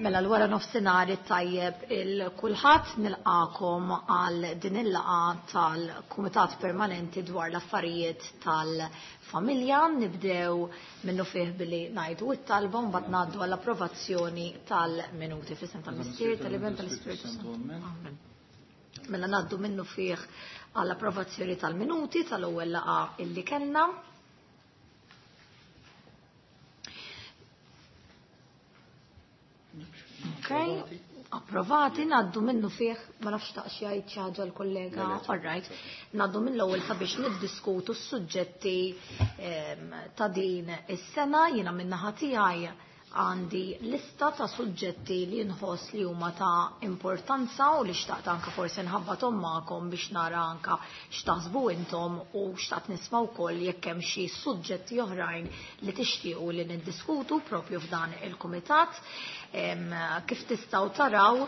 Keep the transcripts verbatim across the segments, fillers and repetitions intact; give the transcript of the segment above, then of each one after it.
Mela l-wara nofsinhar it-tajjeb il kulħadd, nilqakom għal din il-laqgħa tal-Kumitat Permanenti dwar l-affarijiet tal-familja. Nibdew minnu fih billi ngħidu it-talba, mbagħad ngħaddu għall-approvazzjoni tal-minuti f'isem tal-Missier, tal-Iben, tal-Ispirtu Santu. Amen. Mela ngħaddu minnu fih għall-approvazzjoni tal-minuti tal-ewwel laqgħa illi kellna. Ok, approvati, naddu minnu fih, ma nafx taqx jgħid xi ħaġa l-kollega, all right, naddu mill-ewwel sabiex niddiskutu s-suġġetti ehm, ta' din is-sena. Jiena min-naħa tiegħi għandi lista ta' suġġetti li nħoss li huma ta' importanza u li xtaqt anka forsi nħabbathom magħkom biex nara anka x'taħsbu intom, u xtaqt nisma' wkoll jekk hemm xi suġġetti oħrajn li tixtiequ li niddiskutu propju f'dan il-kumitat. Kif tistgħu taraw,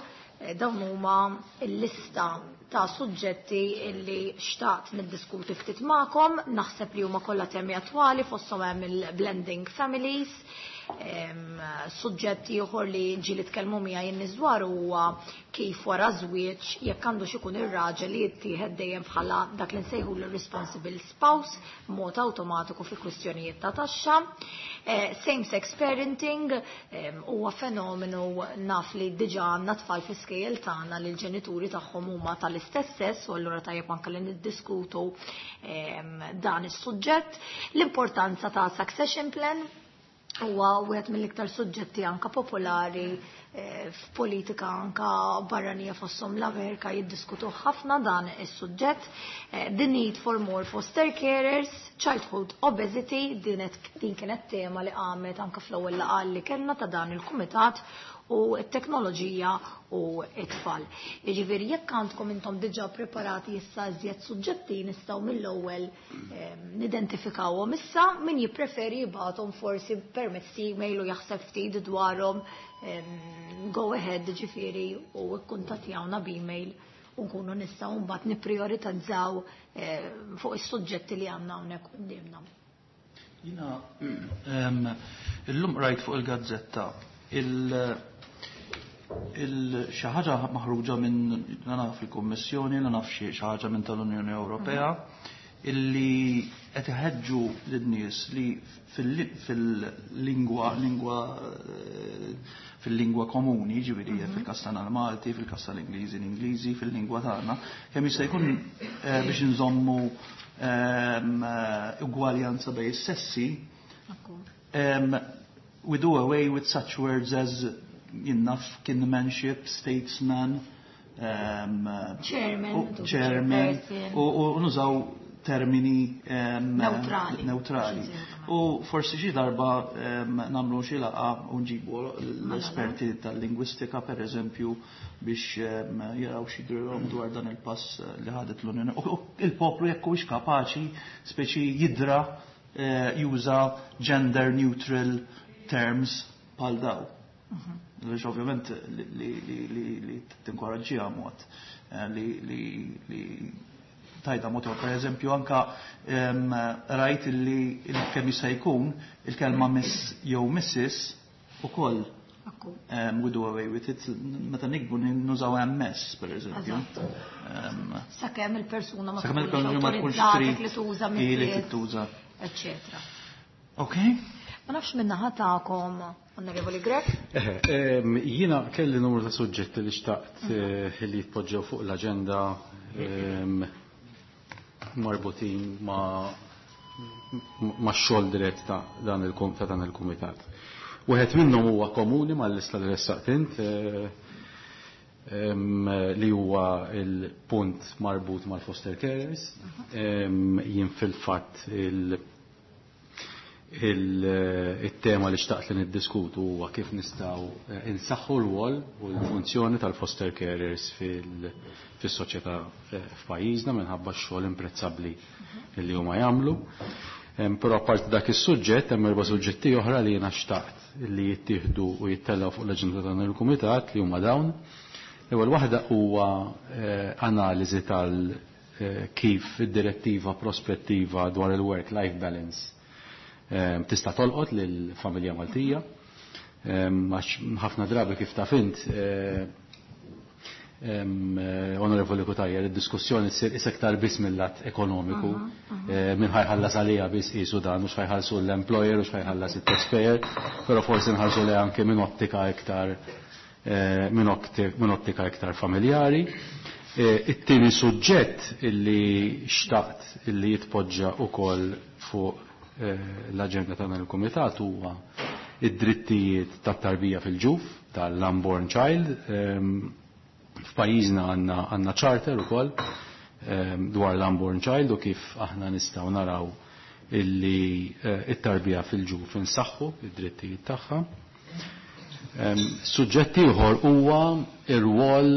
eh, dawn huma l-lista ta' suġġetti li xtaqt niddiskuti ftit magħkom. Naħseb li huma kollha temi attwali, fosthom hemm il-blending families. Suġġetti ieħor li ġieli tkellmu miegħi in-nies dwar huwa kif wara żwieġ jekk għandu x'ikun ir-raġel li jittieħed dejjem bħala dak li nsejħu l-responsible spouse mod awtomatiku fi kwistjonijiet ta' taxxa. Eh, same-sex parenting huwa fenomenu, naf li diġà għandna tfal fi skejjel tagħna li l-ġenituri tagħhom huma tal-istess sess, u allura tajjeb anke li niddiskutu dan is-suġġett. L-importanza ta' succession plan huwa wieħed mill-iktar suġġetti anka popolari eh, f'politika anka barranija, fosthom l-Amerika jiddiskutu ħafna dan is-suġġett. Eh, the need for more foster carers, childhood obesity, din din kienet tema li qamet anka fl-ewwel laqgħa li kellna ta' dan il-kumitat, u t-teknoloġija u t-tfal. Jiġifieri jekk għandkom intom diġà preparati issa iżjed suġġetti, nistgħu mill-ewwel nidentifikawhom issa. Min jippreferi jibgħathom forsi permezz email u jaħseb ftit dwarhom, go ahead, ġifieri, u kkuntattjawna b'email u nkunu nistgħu mbagħad nipprioritizzaw eh, fuq is-suġġetti li għandna hawnhekk quddiemna. Jiena illum rajt fuq il-gazzetta il xi ħaġa maħruġa minn, la naf il-Kummissjoni, la naf xi ħaġa minn tal-Unjoni Ewropea, illi qed iħeġġu lin-nies li fil-lingwa lingwa fil-lingwa komuni, ġifieri fil-każ tagħna l-Malti, fil-każ tal-Ingliżi l-Ingliżi, fil-lingwa tagħna, kemm jista' jkun biex nżommu ugwaljanza bejn is-sessi, we do away with such words as jinnaf kinmanship, statesman, um, chairman, chairman, u nużaw termini neutrali. Neutrali. U forsi xi darba nagħmlu xi laqgħa u nġibu l-esperti tal-lingwistika, per eżempju, biex jaraw xi drilhom dwar dan il-pass li ħadet l-Unjoni. U il-poplu jekk huwiex kapaċi speċi jidra juża gender neutral terms bħal daw. Għaliex ovvjament li tinkoraġġiha mod li li tajda mod, per eżempju, anka rajt li kemm jista' jkun il-kelma miss jew missis ukoll we do away with it, meta nikbu nużaw M S, per eżempju. Sakemm il-persuna ma tkunx autorizzata li tuża li tuża. Eccetera. Ok. Ma nafx minna tagħkom, Onorevoli Grech. Jiena kelli numru ta' suġġetti li xtaqt li jitpoġġew fuq l-aġenda marbutin ma' ma' xogħol dirett ta' dan il ta' dan il-kumitat. Wieħed minnhom huwa komuni mal-lista li ressaqt int, li huwa il-punt marbut mal-foster carers. Jien fil-fatt il- il-tema li xtaqt li niddiskutu huwa kif nistgħu insaħħu l-rwol u l-funzjoni tal-foster carers fis-soċjetà f'pajjiżna minħabba x-xogħol imprezzabbli li huma jagħmlu. Però apparti dak is-suġġett hemm erba' suġġetti oħra li jiena xtaqt li jittieħdu u jittellgħu fuq l-aġenda dan il-kumitat, li huma dawn. L-ewwel waħda huwa analiżi tal kif id-direttiva prospettiva dwar il-work-life balance tista' tolqot lill-familja Maltija. Għax ħafna drabi kif taf int, Onorevoli Cutajar, id-diskussjoni ssir iktar biss mill-lat ekonomiku, min ħa jħallas għalija biss qisu dan, u x'ħa jħallsu l-employer u x'ħa jħallas it-taxpayer, però forsi nħarsu li anke minn ottika iktar minn ottika iktar familjari. It-tieni suġġett illi xtaqt illi jitpoġġa wkoll fuq l-aġenda tagħna l-Kumitat huwa id-drittijiet tat-tarbija fil-ġuf, tal-unborn child. F'pajjiżna għandna għandna charter ukoll dwar l-unborn child u kif aħna nistgħu naraw illi it-tarbija fil-ġuf insaħħu id-drittijiet tagħha. Suġġett ieħor huwa ir-rwol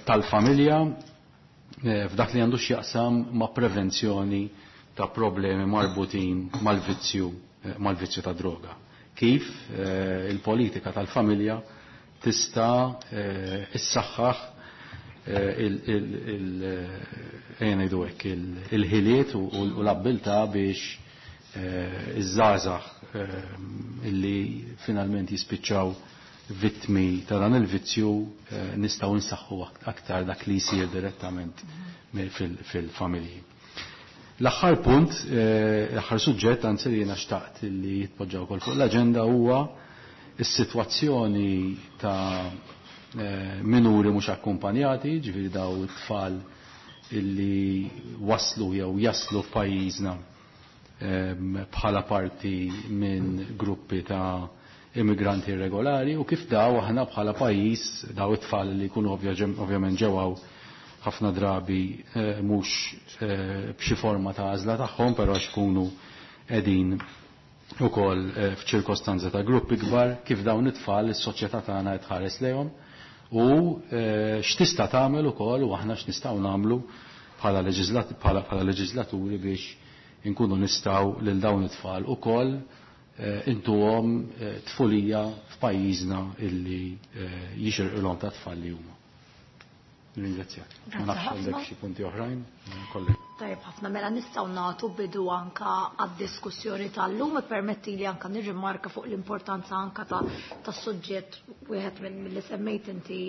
tal-familja f'dak li għandu x'jaqsam ma' prevenzjoni ta' problemi marbutin mal-vizzju mal-vizzju ta' droga. Kif il-politika tal-familja tista' issaħħaħ il-ħiliet u l-abbiltà biex iż-żgħażagħ illi finalment jispiċċaw vittmi ta' dan il-vizzju nistgħu nsaħħu aktar dak li jsir direttament fil-familji. L-aħħar punt, l-aħħar suġġett anzi li jiena xtaqt li jitpoġġa wkoll fuq l-aġenda huwa is-sitwazzjoni ta' minuri mhux akkumpanjati, ġifieri daw it-tfal illi waslu jew jaslu f'pajjiżna bħala parti minn gruppi ta' immigranti irregolari u kif daw aħna bħala pajjiż daw it-tfal li jkunu ovvjament ġewwaw ħafna drabi mhux b'xi forma ta' għażla tagħhom, però xkunu qegħdin ukoll f'ċirkostanza ta' gruppi kbar, kif dawn it-tfal is-soċjetà tagħna qed tħares lejhom u x'tista' tagħmel ukoll u aħna x'nistgħu nagħmlu bħala bħala leġislaturi biex inkunu nistgħu lil dawn it-tfal ukoll intuhom tfulija f'pajjiżna illi jixirqilhom ta' tfal li huma. Ringrazzjak. Ma nafx għandek xi punti oħrajn, kollegi. Tajjeb ħafna, mela nistgħu nagħtu bidu anka għad-diskussjoni tal-lum, permetti li anka nirrimarka fuq l-importanza anka ta' tas-suġġett wieħed minn li semmejt inti.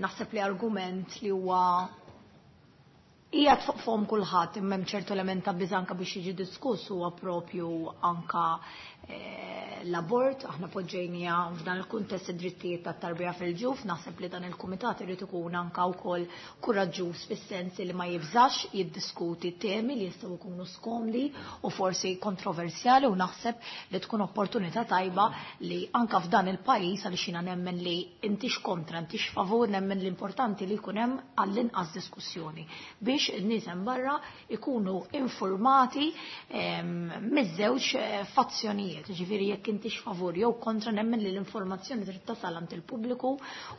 Naħseb li argument li huwa qiegħed fuq fom kulħadd imma hemm ċertu element ta' biża anka biex jiġi diskuss huwa propju anka l-abort. Aħna poġġejnija f'dan il-kuntest id-drittijiet tat-tarbija fil-ġuf, naħseb li dan il-kumitat irid ikun anka wkoll kuraġġuż fis-sens li ma jibżax jiddiskuti temi li jistgħu jkunu skomdi u forsi kontroversjali, u naħseb li tkun opportunità tajba li anka f'dan il-pajjiż, għaliex jiena nemmen li intix kontra, intix favur, nemmen l-importanti li jkun hemm għall-inqas diskussjoni biex in-nies hemm barra ikunu informati miż-żewġ fazzjonijiet, ġifieri jekk intix favur jew kontra, nemmen li l-informazzjoni trid tasal għand il-pubbliku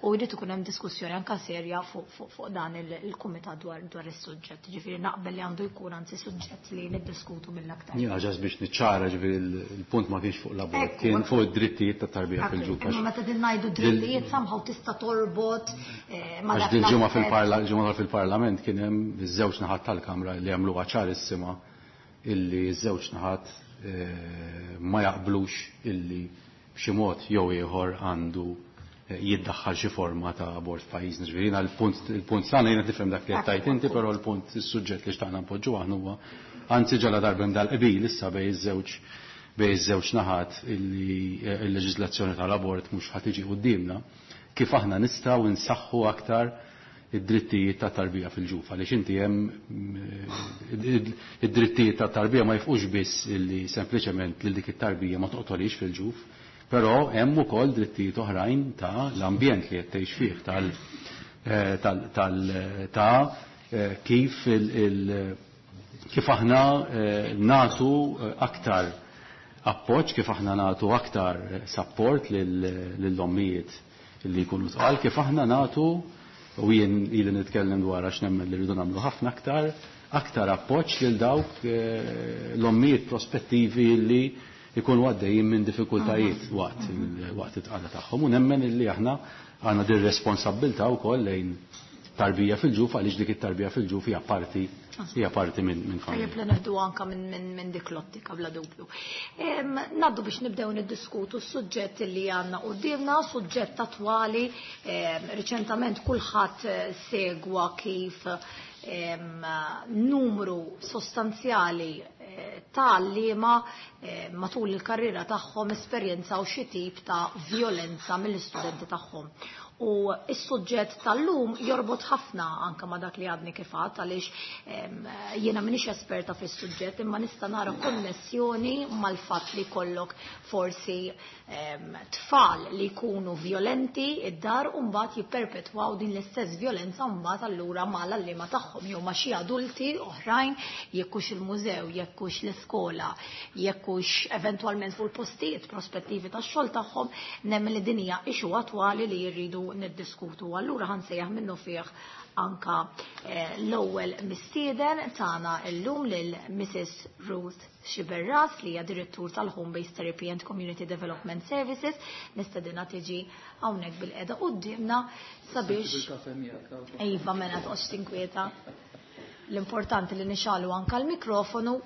u jrid ikun hemm diskussjoni anke serja fuq dan il-kumitat dwar dwar is-suġġett. Ġifieri naqbel li għandu jkun anzi suġġett li niddiskutu mill-aktar. Jiena ġas biex niċċara, ġifieri il-punt ma kienx fuq l-abort, kien fuq id-drittijiet tat-tarbija fil-ġuf. Imma meta din ngħidu drittijiet somehow tista' torbot ma' dak. Għax dil-ġimgħa fil-ġimgħa fil-Parlament kien hemm iż-żewġ naħat tal-Kamra li għamluha ċarissima illi ż-żewġ naħat ma jaqblux illi b'xi mod jew ieħor għandu jiddaħħal xi forma ta' abort f'pajjiżna. Ġifieri jiena l-punt il-punt sana jiena tifhem dak li qed tgħid inti, però l-punt is-suġġett li xtaqna npoġġu aħna huwa anzi ġala darba hemm dal-qbil issa bejn iż-żewġ bejn iż-żewġ naħat illi l-leġiżlazzjoni tal-abort mhux ħa tiġi quddiemna, kif aħna nistgħu nsaħħu aktar id-drittijiet ta' tarbija fil-ġuf, għaliex inti hemm id-drittijiet ta' tarbija ma jifqux biss illi sempliċement lil dik it-tarbija ma toqtolix fil-ġuf, però hemm ukoll drittijiet oħrajn ta' l-ambjent li qed tgħix fih, tal tal ta' kif il kif aħna nagħtu aktar appoġġ, kif aħna nagħtu aktar support lill-ommijiet li jkunu tqal, kif aħna nagħtu, u jien ili nitkellem dwar għax nemmen li rridu nagħmlu ħafna aktar, aktar appoġġ lil dawk l-ommijiet prospettivi li jkunu għaddejjin minn diffikultajiet waqt waqt it-tqala tagħhom, u nemmen illi aħna għandna din responsabbiltà wkoll lejn tarbija fil-ġuf, għaliex dik it-tarbija fil-ġuf hija parti hija parti minn min familja. Tajjeb li neħdu anka minn min, min dik l-ottika bla dubju. Naddu biex nibdew niddiskutu s-suġġett li għandna quddiemna, suġġett attwali, riċentament kulħadd segwa kif em, numru sostanzjali ta' għalliema matul il-karriera tagħhom esperjenzaw xi tip ta' violenza mill-istudenti tagħhom. U s-suġġett tal-lum jorbot ħafna anka ma dak li għadni kif għedt, għaliex jiena m'iniex esperta fis-suġġett, imma nista' nara konnessjoni mal-fatt li kollok forsi tfal li jkunu violenti id-dar u mbagħad jipperpetwaw din l-istess violenza mbagħad allura mal-għalliema tagħhom jew ma' xi adulti oħrajn, jekk hux il-mużew, jekk hux l-iskola, jekk hux eventwalment fuq il-postijiet prospettivi tax-xogħol tagħhom, nemmen li din hija issue attwali li jridu niddiskutu. Allura ħansejjaħ minnu fih anka l-ewwel mistieden tagħna llum lil Missus Ruth Sciberras, li hija direttur tal-Home Based Therapy and Community Development Services. Nistedinha tiġi hawnhekk bil-qeda quddiemna sabiex Iva, mela toqgħodx tinkwieta. L-importanti li nixalu anka l-mikrofonu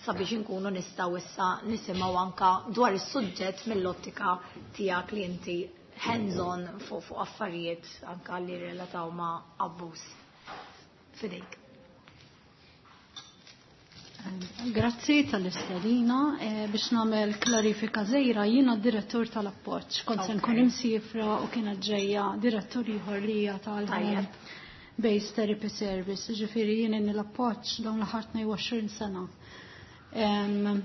sabiex inkunu nistgħu issa nisimgħu anka dwar is-suġġett mill-ottika tiegħek li inti hands-on fuq fuq affarijiet anka li relataw ma' abbuż. Fidejk. Grazzi tal-istedina. Eh, biex nagħmel klarifika żgħira, jiena direttur tal-appoġġ. Kont se nkun imsifra u kienet ġejja direttur ieħor li hija tal-Home Based Therapy Service. Ġifieri jien inni l-appoġġ dawn l-aħħar tnejn u għoxrin sena. Em,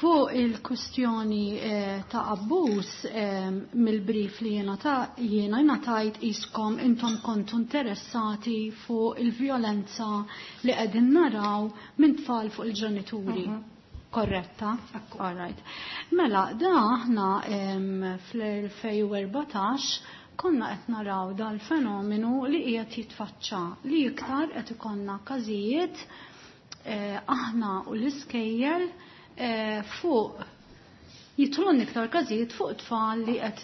Fuq il-kustjoni eh, ta' abbuż eh, mill-brief li jiena ta' jiena ngħatajt iskom intom kontu interessati fuq il-vjolenza li qegħdin naraw minn tfal fuq il-ġenituri. Mhm. Korretta? Ekku. All right. Mela, da aħna, em, fl-elfejn u erbatax konna qed naraw dal-fenomenu li qiegħed jitfaċċa, li iktar qed ikollna każijiet, eh, aħna u l-iskejjel, eh, fuq jitlun iktar każijiet fuq tfal li qed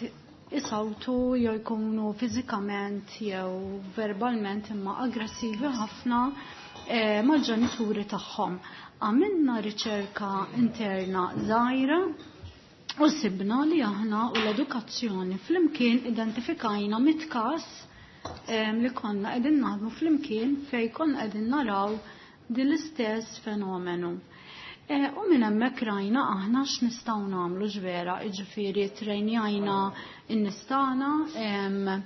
isawtu jew jkunu fiżikament jew verbalment imma aggressivi ħafna, eh, mal-ġenituri tagħhom. Għamilna riċerka interna żgħira u sibna li aħna u l-edukazzjoni flimkien identifikajna mitt każ, eh, li konna qegħdin naħdmu flimkien fejn konna qegħdin naraw din l-istess fenomenu. Eh, u minn hemmhekk rajna aħna x'nistgħu nagħmlu ġvera, jiġifieri trejnjajna n-nies tagħna, em,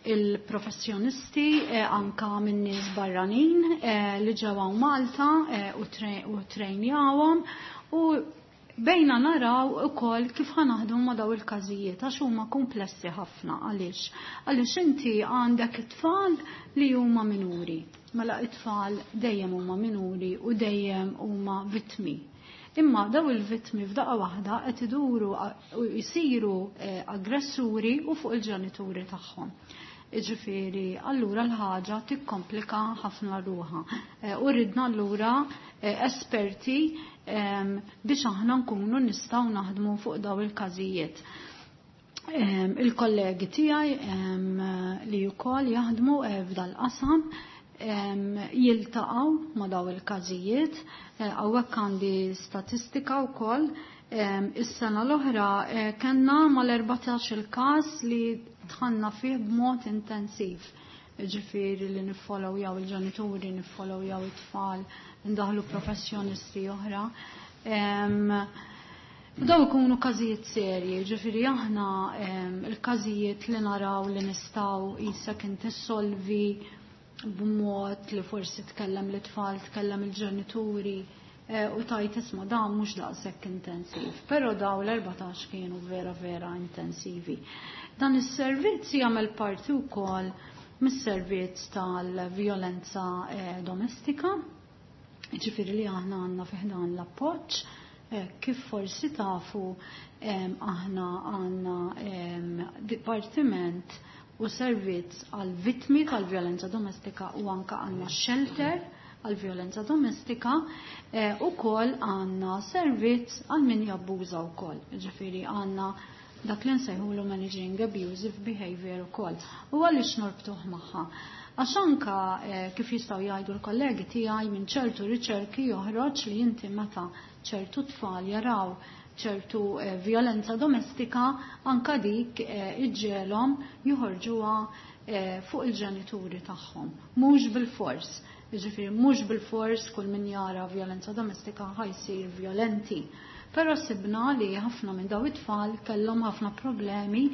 il-professjonisti, eh, anka minn nies barranin, eh, li ġew hawn Malta, eh, u tre-, u trejnjawhom u bejna naraw ukoll kif ħanaħdmu ma' daw il-każijiet għax huma komplessi ħafna. Għaliex? Għaliex inti għandek it-tfal li huma minuri. Mela it-tfal dejjem huma minuri u dejjem huma vittmi. Imma daw il-vittmi f'daqqa waħda qed iduru u jsiru, eh, aggressuri u fuq il-ġenituri tagħhom. Jiġifieri, allura l-ħaġa tikkomplika ħafna ruħha. Eh, u ridna allura, eh, esperti, ehm, biex aħna nkunu nistgħu naħdmu fuq daw il-każijiet. Ehm, il-kollegi tiegħi, ehm, li wkoll jaħdmu, eh, f'dal-qasam, ehm, jiltaqgħu ma' daw il-każijiet. Eh, hawnhekk għandi statistika wkoll. Ehm, is-sena l-oħra, eh, kellna mal-erbatax il-każ li dħalna fih b'mod intensiv. Ġifieri li niffollowjaw il-ġenituri, niffollowjaw it-tfal, ndaħlu professjonisti oħra. Ehm, daw ikunu każijiet serji, ġifieri aħna, ehm, il-każijiet li naraw li nistgħu qisek inti solvi b'mod li forsi tkellem l-tfal, tkellem il-ġenituri, eh, u tajt isma' dan mhux daqshekk intensiv, però daw l-erbatax kienu vera vera intensivi. Dan is-servizz jagħmel parti wkoll mis-servizz tal-vjolenza, eh, domestika, ġifieri li aħna għandna fi ħdan l-appoġġ. Eh, kif forsi tafu, em, aħna għandna, em, dipartiment u servizz għal vittmi tal-vjolenza domestika u anka għandna shelter għal vjolenza domestika, eh, u kol għandna servizz għal min jabbuża u kol. Ġifieri għandna Dak li nsejħulu managing abusive behavior ukoll. U għaliex norbtuh magħha? Għax anka eh, kif jistgħu jgħidu l-kollegi tiegħi, minn ċertu riċerki joħroġ li inti meta ċertu tfal jaraw ċertu eh, violenza domestika, anka dik eh, iġġiegħelhom joħorġuha eh, fuq il-ġenituri tagħhom. Mhux bil-fors. Jiġifieri mhux bil-fors kull min jara violenza domestika ħa jsir violenti. Però sibna li ħafna minn daw it-tfal kellhom ħafna problemi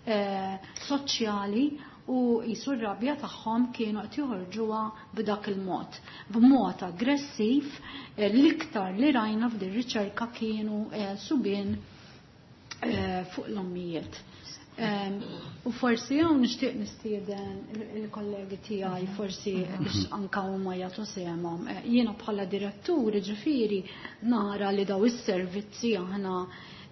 eh, soċjali u jisu r-rabja tagħhom kienu qed joħorġuha b'dak il-mod. B'mod aggressiv, eh, l-iktar li rajna f'din riċerka kienu eh, subien eh, fuq l-ommijiet. Em, U forsi hawn nixtieq nistieden il-kollegi tiegħi forsi biex anka huma jagħtu sehemhom. Eh, Jiena bħala direttur, ġifieri, nara li daw is-servizzi aħna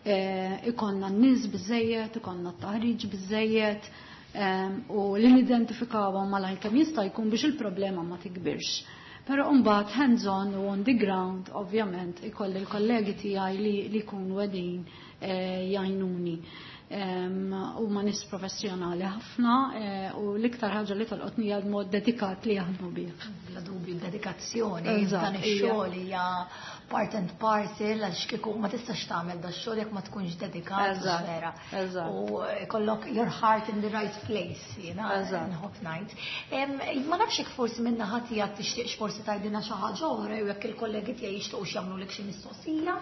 eh, ikollna n-nies biżejjed, ikollna t-taħriġ biżejjed em, u li nidentifikawhom malajr kemm jista' jkun biex il-problema ma tikbirx. Però mbagħad hands-on u on the ground, ovvjament, ikolli l-kollegi tiegħi li li jkunu qegħdin eh, jgħinuni. Em, Huma nies professjonali ħafna eh, u l-iktar ħaġa li tolqotni hija l-mod dedikat li jaħdmu bih. Bla dubju, dedikazzjoni Eżatt, dan ix-xogħol hija part and parcel, għax kieku ma tistax tagħmel da xogħol jekk ma tkunx dedikat Eżatt, vera. eżatt. U kollok your heart in the right place, jiena Eżatt. nħobb ngħid. Em, Ma nafx jekk forsi minna ħadd tiegħek tixtieqx forsi tgħidilna xi ħaġa oħra jew jekk il-kollegi tiegħi jixtiequx jagħmlulek xi mistoqsija.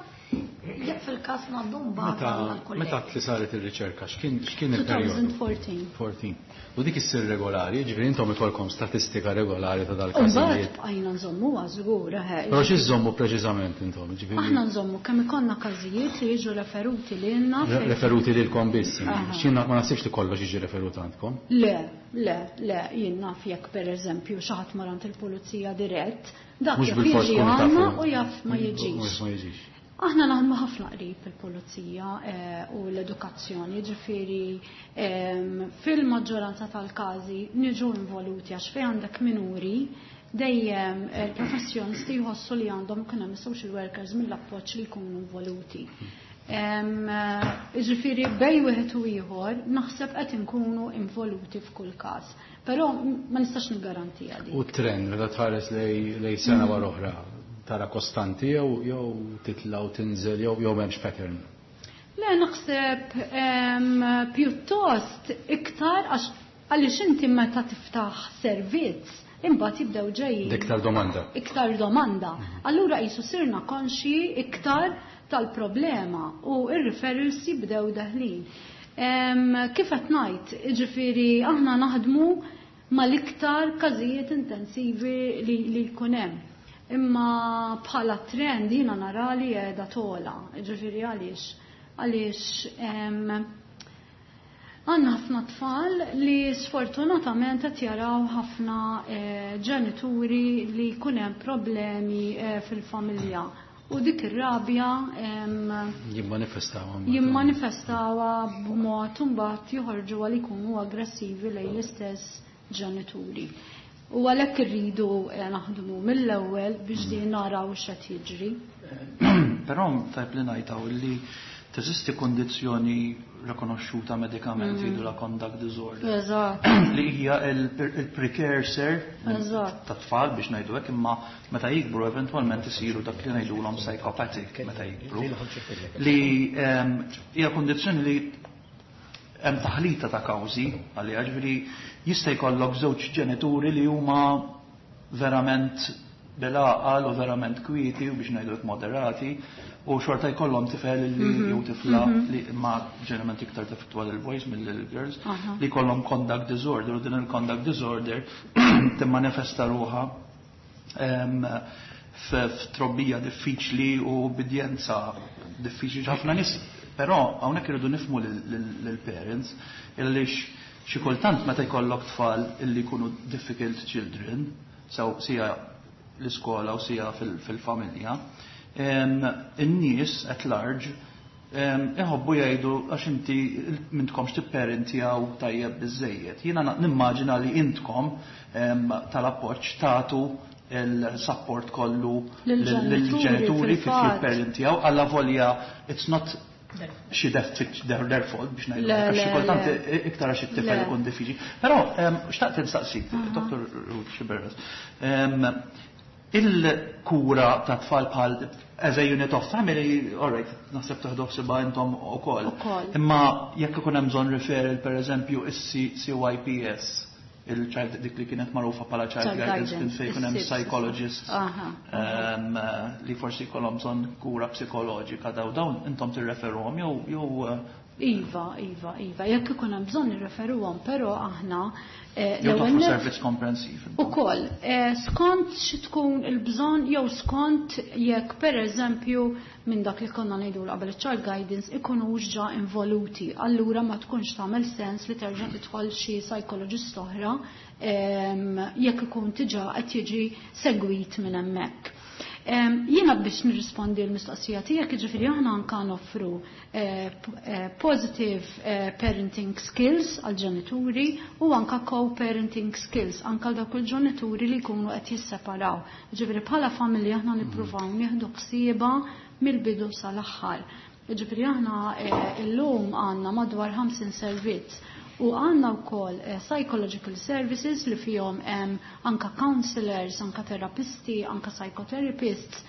Jekk fil-każ ngħaddu mbagħad Meta għall-kollegi. Meta li saret ir-riċerka, x'kien x'kien il-perjodu? twenty fourteen. erbatax. U dik issir regolari, ġifieri intom ikolkom statistika regolari ta' Mbagħad dal-każijiet. bqajna nżommuha żgur, eħe. Però xi żommu preċiżament intom? Ġifieri Aħna nżommu kemm ikollna każijiet li jiġu referuti lilna. re- referuti lilkom biss. Aha. X'jien ma naħsibx li kollox jiġi referut għandkom. Le, le, le, jien naf jekk per eżempju xi ħadd mar għand il-pulizija dirett, dak Mhux jaf bil-fors jiġi tkunu għandna tafu. u jaf ma jiġix. Mhux ma jiġix. Aħna naħdmu ħafna qrib il-pulizija eh, u l-edukazzjoni, ġifieri em, fil-maġġoranza tal-każi niġu involuti għax fejn għandek minuri dejjem il-professjonisti jħossu li għandhom ikun hemm social workers mill-appoġġ li jkunu involuti. Em, eh, Ġifieri bejn wieħed u ieħor naħseb qed inkunu involuti f'kull każ. Però ma nistax niggarantija dik. U trend, meta tħares lej lej sena wara oħra, tara kostanti jew jew titla' u tinżel jew jew m'hemmx pattern? Le, naħseb em, pjuttost iktar, għax għaliex inti meta tiftaħ servizz imbagħad jibdew ġejjin Iktar domanda. Iktar domanda. Allura qisu sirna konxi iktar tal-problema u ir-referrals jibdew deħlin. Em, Kif qed ngħid, jiġifieri aħna naħdmu mal-iktar każijiet intensivi li, li jkun hemm. Imma bħala trend jiena nara li qiegħda togħla, jiġifieri għaliex? Għaliex em, għandna ħafna tfal li sfortunatament qed jaraw ħafna eh, ġenituri li jkun hemm problemi eh, fil-familja. U dik ir-rabja em, Jimmanifestaw. Jimmanifestawha b'mod imbagħad joħorġu għal ikunu aggressivi lejn l-istess ġenituri. U għalhekk irridu eh, naħdmu mill-ewwel biex din naraw x'qed jiġri. Però tajb li ngħidaw li teżisti kondizzjoni rikonoxxuta medikament mm. la conduct disorder. Eżatt. Li hija il-precursor Eżatt. ta' tfal, biex ngħidu hekk, imma meta jikbru eventwalment isiru dak li ngħidulhom psychopathic meta jikbru. Li ehm, hija kondizzjoni li hemm taħlita ta' kawżi għalija, ġifieri jista' jkollok żewġ ġenituri li huma verament bil-għaqal u verament kwieti u, biex ngħidu hekk, moderati, u xorta jkollhom tifel li jew tifla li, ma ġeneralment iktar taffettwa il-boys mill-girls, Aha. li jkollhom conduct disorder, u din il-conduct disorder timmanifesta ruħha em, f- f'trobbija diffiċli u ubbidjenza diffiċli ħafna nies. Però hawnhekk irridu nifhmu lill-parents illi xi kultant meta jkollok tfal illi jkunu difficult children, sew sija l-iskola u sija fil- fil-familja, em, in-nies at large em, iħobbu jgħidu għax inti m'intkomx tipparentjaw tajjeb biżejjed. Jiena na- nimmaġina li intkom em, tal-appoġġ tagħtu il-support kollu lill-ġenituri, lill-ġenituri kif fil-fatt. jipparentjaw, alla volja it's not xi their fault biex ngħidu għax xi kultant iktar għax it-tifel ikun diffiċli. Però xtaqt insaqsik, Dottor Ruth Sciberras, il-kura ta' tfal bħal as a unit of family, all right, naħseb taħdu ħsiebha intom ukoll. Imma jekk ikun hemm bżonn referral, pereżempju, is-C Y P S, il-child dik li kienet magħrufa bħala child guidance, kien fejn ikun hemm psychologists li forsi jkollhom bżonn kura psikoloġika, daw dawn intom tirreferuhom jew jew Iva, iva, iva. Jekk ikun hemm bżonn nirreferuhom, però aħna jew toffru servizz komprensiv. Ukoll, skont xi tkun il-bżonn jew skont jekk, pereżempju, minn dak li konna ngħidu qabel, child guidance ikunux ġa involuti, allura ma tkunx tagħmel sens li terġa' tidħol xi psychologist oħra jekk ikun diġà qed jiġi segwit minn hemmhekk. Jiena biex nirrispondi l-mistoqsija tiegħek, jiġifieri aħna anka noffru positive parenting skills għal ġenituri u anka co-parenting skills anka dawk il-ġenituri li jkunu qed jisseparaw. Jiġifieri bħala familja aħna nippruvaw nieħdu ħsieba mill-bidu sal-aħħar. Jiġifieri aħna illum għandna madwar ħamsin servizz u għandna wkoll psychological services li fihom anka counselors, anka terapisti, anka psychotherapists,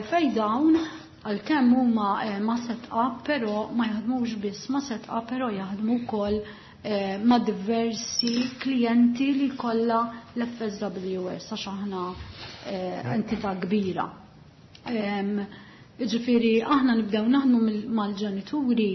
fej dawn għalkemm huma ma set up, però ma jaħdmux biss ma set up, però jaħdmu wkoll ma' diversi klijenti li kollha l-F S W S, għax aħna entità kbira. Ġifieri aħna nibdew naħdmu mal-ġenituri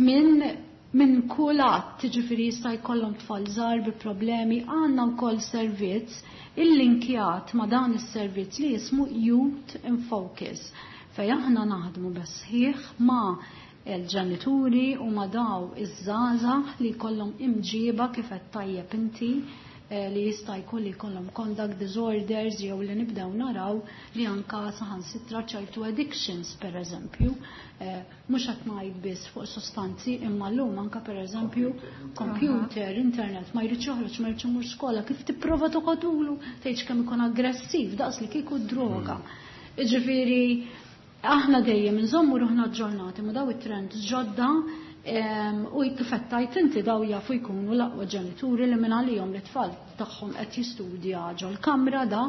minn minn kull att, ġifieri jista' jkollhom tfal żgħar bi problemi, għandna wkoll servizz illinkjat ma' dan is-servizz li jismu Youth in Focus, fej aħna naħdmu bis-sħiħ ma' il-ġenituri u ma' daw iż-żgħażagħ li jkollhom imġiba kif qed tajjeb inti, li jista' jkun li jkollhom conduct disorders jew li nibdew naraw li anka saħansitra ċertu addictions, pereżempju. Mhux qed ngħid biss fuq sostanzi, imma llum anka, pereżempju, computer, internet, ma jridx joħroġ, ma jridx imur skola, kif tipprova toqgħodulu tgħidx kemm ikun aggressiv, daqs li kieku droga. Jiġifieri aħna dejjem inżommu ruħna aġġornati ma' daw it-trends ġodda, u kif qed tgħid inti, daw jafu jkunu l-aqwa ġenituri li minn għalihom li tfal tagħhom qed jistudja ġol-kamra da,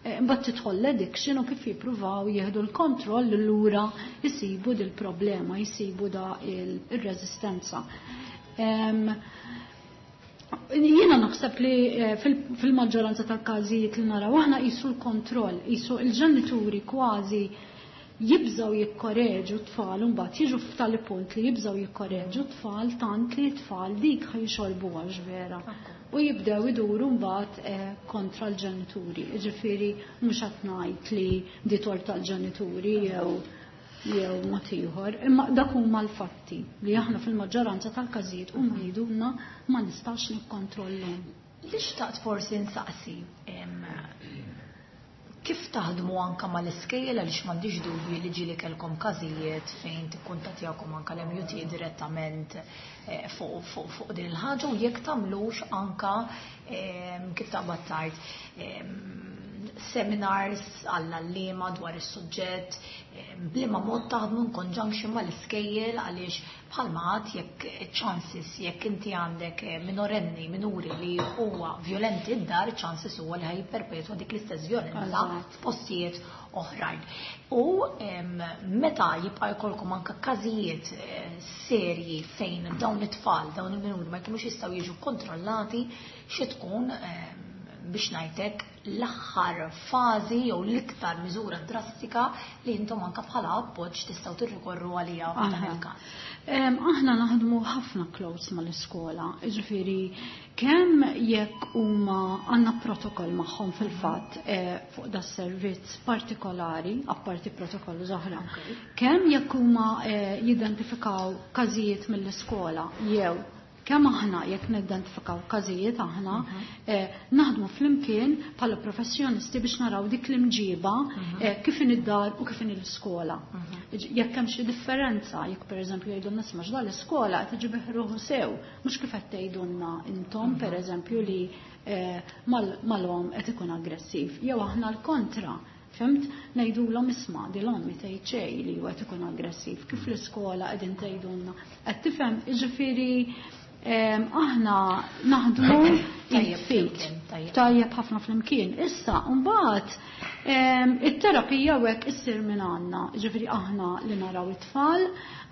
mbagħad tidħol l-addiction u kif jippruvaw jieħdu l-kontroll lura jisibu dil-problema, jisibu da il-reżistenza. Jiena naħseb li fil-maġġoranza tal-każijiet li naraw aħna qisu l-kontroll, qisu il-ġenituri kważi jibżaw jikkoreġu t-tfal, mbagħad jiġu f'tali punt li jibżaw jikkoreġu t-tfal tant li t-tfal dik ħajxorbu għax vera. U jibdew iduru mbagħad kontra l-ġenituri. Ġifieri mhux qed ngħid li di tort tal-ġenituri jew jew mod ieħor, imma dak huma l-fatti li aħna fil-maġġoranza tal-każijiet huma jgħidulna ma nistax nikkontrollhom. Li xtaqt forsi nsaqsi, kif taħdmu anka mal-iskejjel, għaliex m'għandix dubju li ġieli kellkom każijiet fejn tikkuntattjakom anka l-M U T direttament fuq fuq fuq din il-ħaġa, u jekk tagħmlux anka, kif taqbad tgħid, seminars għall-għalliema dwar is-suġġett, b'liema mod taħdmu in conjunction mal-iskejjel, għaliex bħalma għad jekk chances jekk inti għandek minorenni, minuri li huwa violenti d-dar, chances huwa li ħa jipperpetwa dik l-istess violenza f'postijiet oħrajn. U meta jibqa' jkollkom anke każijiet serji fejn dawn it-tfal, dawn il-minuri ma jkunux jistgħu jiġu kontrollati, xi tkun, biex ngħidlek, l-aħħar fażi jew l-iktar miżura drastika li intom anke bħala appoġġ tistgħu tirrikorru għaliha f'dan il-każ? Aħna naħdmu ħafna close mal-iskola, jiġifieri kemm jekk huma għandna protokoll magħhom fil-fatt fuq da servizz partikolari, apparti protokoll oħra. Kemm jekk huma jidentifikaw każijiet mill-iskola jew kemm aħna jekk nidentifikaw każijiet, aħna naħdmu flimkien bħala professjonisti biex naraw dik l-imġiba kif in id-dar u kif in l-iskola. Jekk hemm xi differenza, jekk pereżempju jgħidulna, "Isma', x'da l-iskola qed iġib ruħu sew, mhux kif qed tgħidulna intom, pereżempju, li mal-omm qed ikun aggressiv." Jew aħna l-kontra. Fhimt? Ngħidulhom isma' di l-ommi tgħid xejn li huwa ikun aggressiv, kif l-iskola qegħdin tgħidulna. Qed tifhem, jiġifieri aħna naħdmu Tajjeb Tajjeb ħafna flimkien. Issa, mbagħad it-terapija hekk issir minn għandna, ġifieri aħna li naraw it-tfal,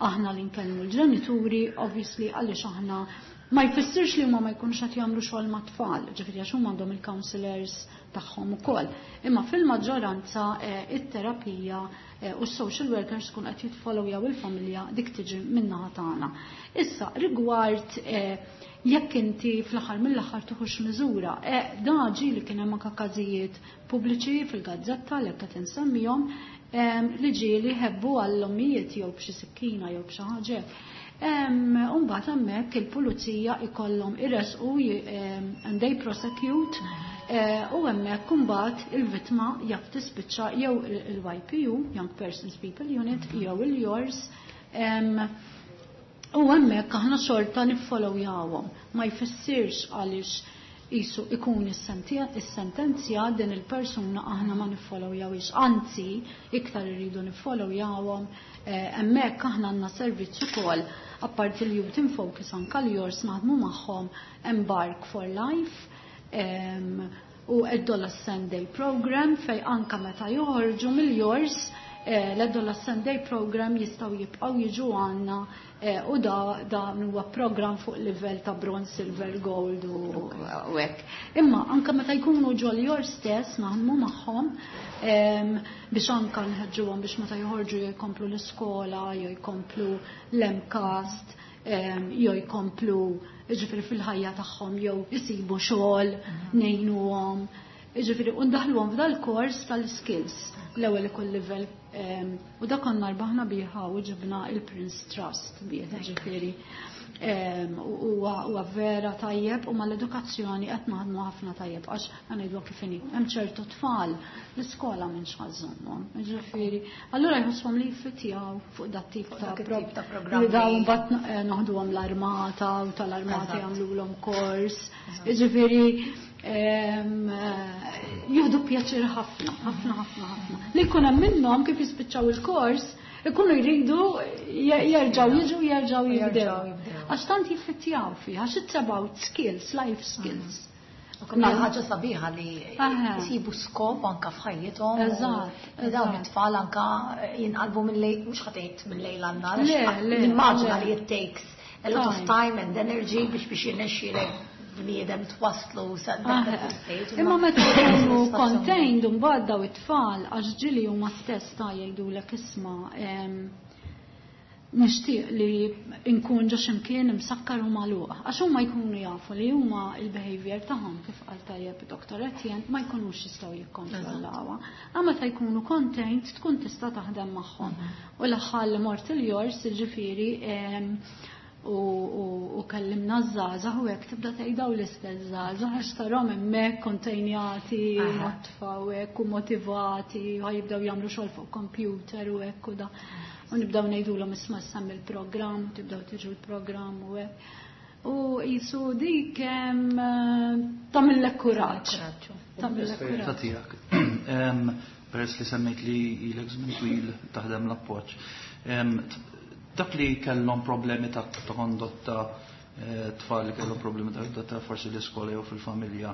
aħna li nkellmu l-ġenituri, obviously għaliex aħna ma jfissirx li huma ma jkunux qed jagħmlu xogħol mat-tfal, ġifieri għax huma għandhom il-counselors tagħhom ukoll. Imma fil-maġġoranza it-terapija u s-social workers kun qed jitfollowjaw il-familja dik tiġi min-naħa tagħna. Issa rigward jekk inti fl-aħħar mill-aħħar tuħux miżura, da ġieli kien hemm anke każijiet pubbliċi fil-gazzetta li qed insemmihom li ġieli ħebbu għall-ommijiet jew b'xi sikkina jew b'xi ħaġa. Umbagħad hemmhekk il-pulizija ikollhom iresqu and they prosecute u hemmhekk imbagħad il-vittma jaf tispiċċa jew il-Y P U, Young Persons People Unit, jew il-YOURS. U hemmhekk aħna xorta niffollowjawhom. Ma jfissirx għaliex jisu ikun is-sentenzja din il-persuna aħna ma niffollowjawhiex. Anzi, iktar irridu niffollowjawhom. Hemmhekk aħna għandna servizz ukoll apparti l-Youth in Focus anka l-YOURS naħdmu magħhom Embark for Life u Adolescent Day Program fej anka meta joħorġu mill-YOURS l-Adolescent Day Program jistgħu jibqgħu jiġu għandna u da dan huwa program fuq livell ta' bronze, silver, gold u hekk. Imma anka meta jkunu ġol YOURS stess naħdmu magħhom biex anka nħeġġuhom biex meta joħorġu jew jkomplu l-iskola, jew jkomplu l-MCAST, jew jkomplu ġifieri fil-ħajja tagħhom jew isibu xogħol, ngħinuhom. Ġifieri u ndaħluhom f'dal-kors tal-skills l-ewwel ikun livell u da konna rbaħna biha u ġibna il-Prince Trust bih, ġifieri huwa vera tajjeb u mal-edukazzjoni qed naħdmu ħafna tajjeb għax ngħidu kif inhi hemm ċertu tfal l-iskola minn xħażżommhom. Ġifieri, allura jħosshom li jfitjaw fuq dat tip ta' programmi. Li dawn mbagħad naħduhom l-armata u tal-armata jagħmluhom kors. Ġifieri jieħdu pjaċir ħafna, ħafna, ħafna, ħafna. Li jkun hemm minnhom kif jispiċċaw il-kors, ikunu jridu jerġgħu jiġu jerġgħu jibdew. Għax tant jiffittjaw fih, għax it's about skills, life skills. U ħaġa sabiħa li jisibu skop anka f'ħajjithom. Eżatt. Dawn it-tfal anka jinqalbu mill-lejl, mhux ħa tgħid mill-lejl għan-nhar. Nimmaġina li it takes a lot of time and energy biex biex jirnexxielek bniedem twaslu sa Imma meta jkunu contained mbagħad daw it-tfal għax ġieli huma stess ta' jgħidulek isma' nixtieq li nkun ġo x'imkien imsakkar u magħluq. Għax huma jkunu jafu li huma il-behavior tagħhom kif qal tajjeb Doktor Etienne ma jkunux jistgħu jikkontrollawha. Imma meta jkunu contained tkun tista' taħdem magħhom. U l-aħħar li mort il-YOURS ġifieri u kellimna ż-żgħażagħ u hekk tibda tgħidaw l-istess żgħażagħ għax tarahom hemmhekk kontenjati, nodfa u hekk u motivati u jibdew jagħmlu xogħol fuq computer u hekk u da. U nibdew ngħidulhom isma' semmi l-programm, tibdew tiġu l-programm u hekk. U jisu dik tagħmillek kuraġġ. Tagħmillek kuraġġ. Tiegħek. Peress li semmejt li ilek żmien twil taħdem l-appoġġ. Dak li kellhom problemi ta' kondotta, tfal li kellhom problemi ta' kondotta forsi l-iskola jew fil-familja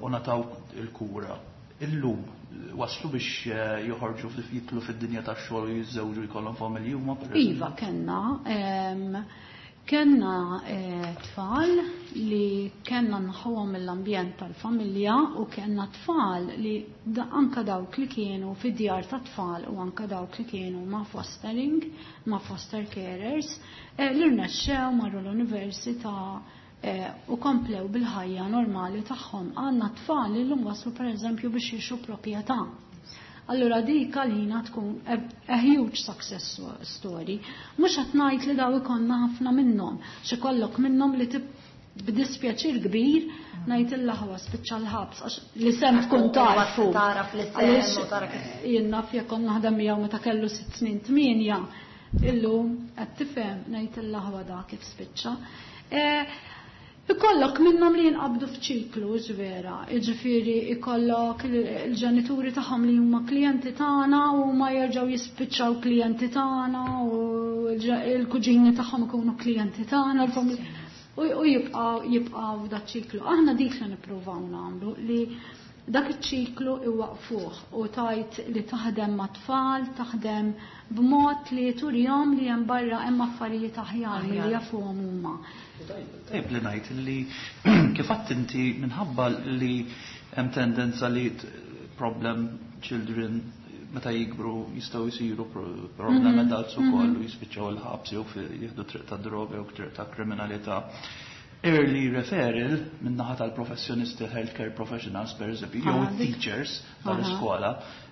u ngħataw il-kura. Illum waslu biex joħorġu jidħlu fid-dinja tax-xogħol u jiżżewġu jkollhom familji huma? Iva, kellna kellna tfal li kellna nneħħuhom mill-ambjent tal-familja u kellna tfal li anka dawk li kienu fid-djar ta' tfal u anka dawk li kienu ma' fostering, ma' foster carers, li rnexxew marru l-università u komplew bil-ħajja normali tagħhom. Għandna tfal li llum waslu pereżempju biex jixtru proprjetà. Allura dik għalina tkun a huge success story. Mhux qed ngħid li daw ikollna ħafna minnhom, xi kollok minnhom li b'dispjaċir kbir ngħid il-laħwa spiċċa l-ħabs għax li sem tkun tarfu. Taraf li sem u tara kif. Jien naf jekk kont naħdem miegħu meta kellu sitt snin tmienja, illum qed tifhem ngħid il-laħwa da kif spiċċa. Ikollok minnhom li jinqabdu f'ċiklu, vera, jiġifieri ikollok il-ġenituri tagħhom li huma klijenti tagħna u ma jerġgħu jispiċċaw klijenti tagħna u l-kuġini tagħhom ikunu klijenti tagħna, l-familja u jibqgħu jibqgħu dak ċiklu. Aħna dik li nippruvaw nagħmlu, li dak iċ-ċiklu iwaqfuh u tajt li taħdem ma' tfal, taħdem b'mod li turihom li hemm barra hemm affarijiet aħjar milli jafuhom huma. Tajb li ngħid li kif għedt inti, minħabba li hemm tendenza li problem children meta jikbru jistgħu jsiru problem mhm. adults ukoll u jispiċċaw il-ħabs jew jieħdu triq ta' droga jew triq ta' kriminalità. Early referral min-naħa tal-professjonisti, healthcare professionals per eżempju, jew ah, teachers tal-iskola,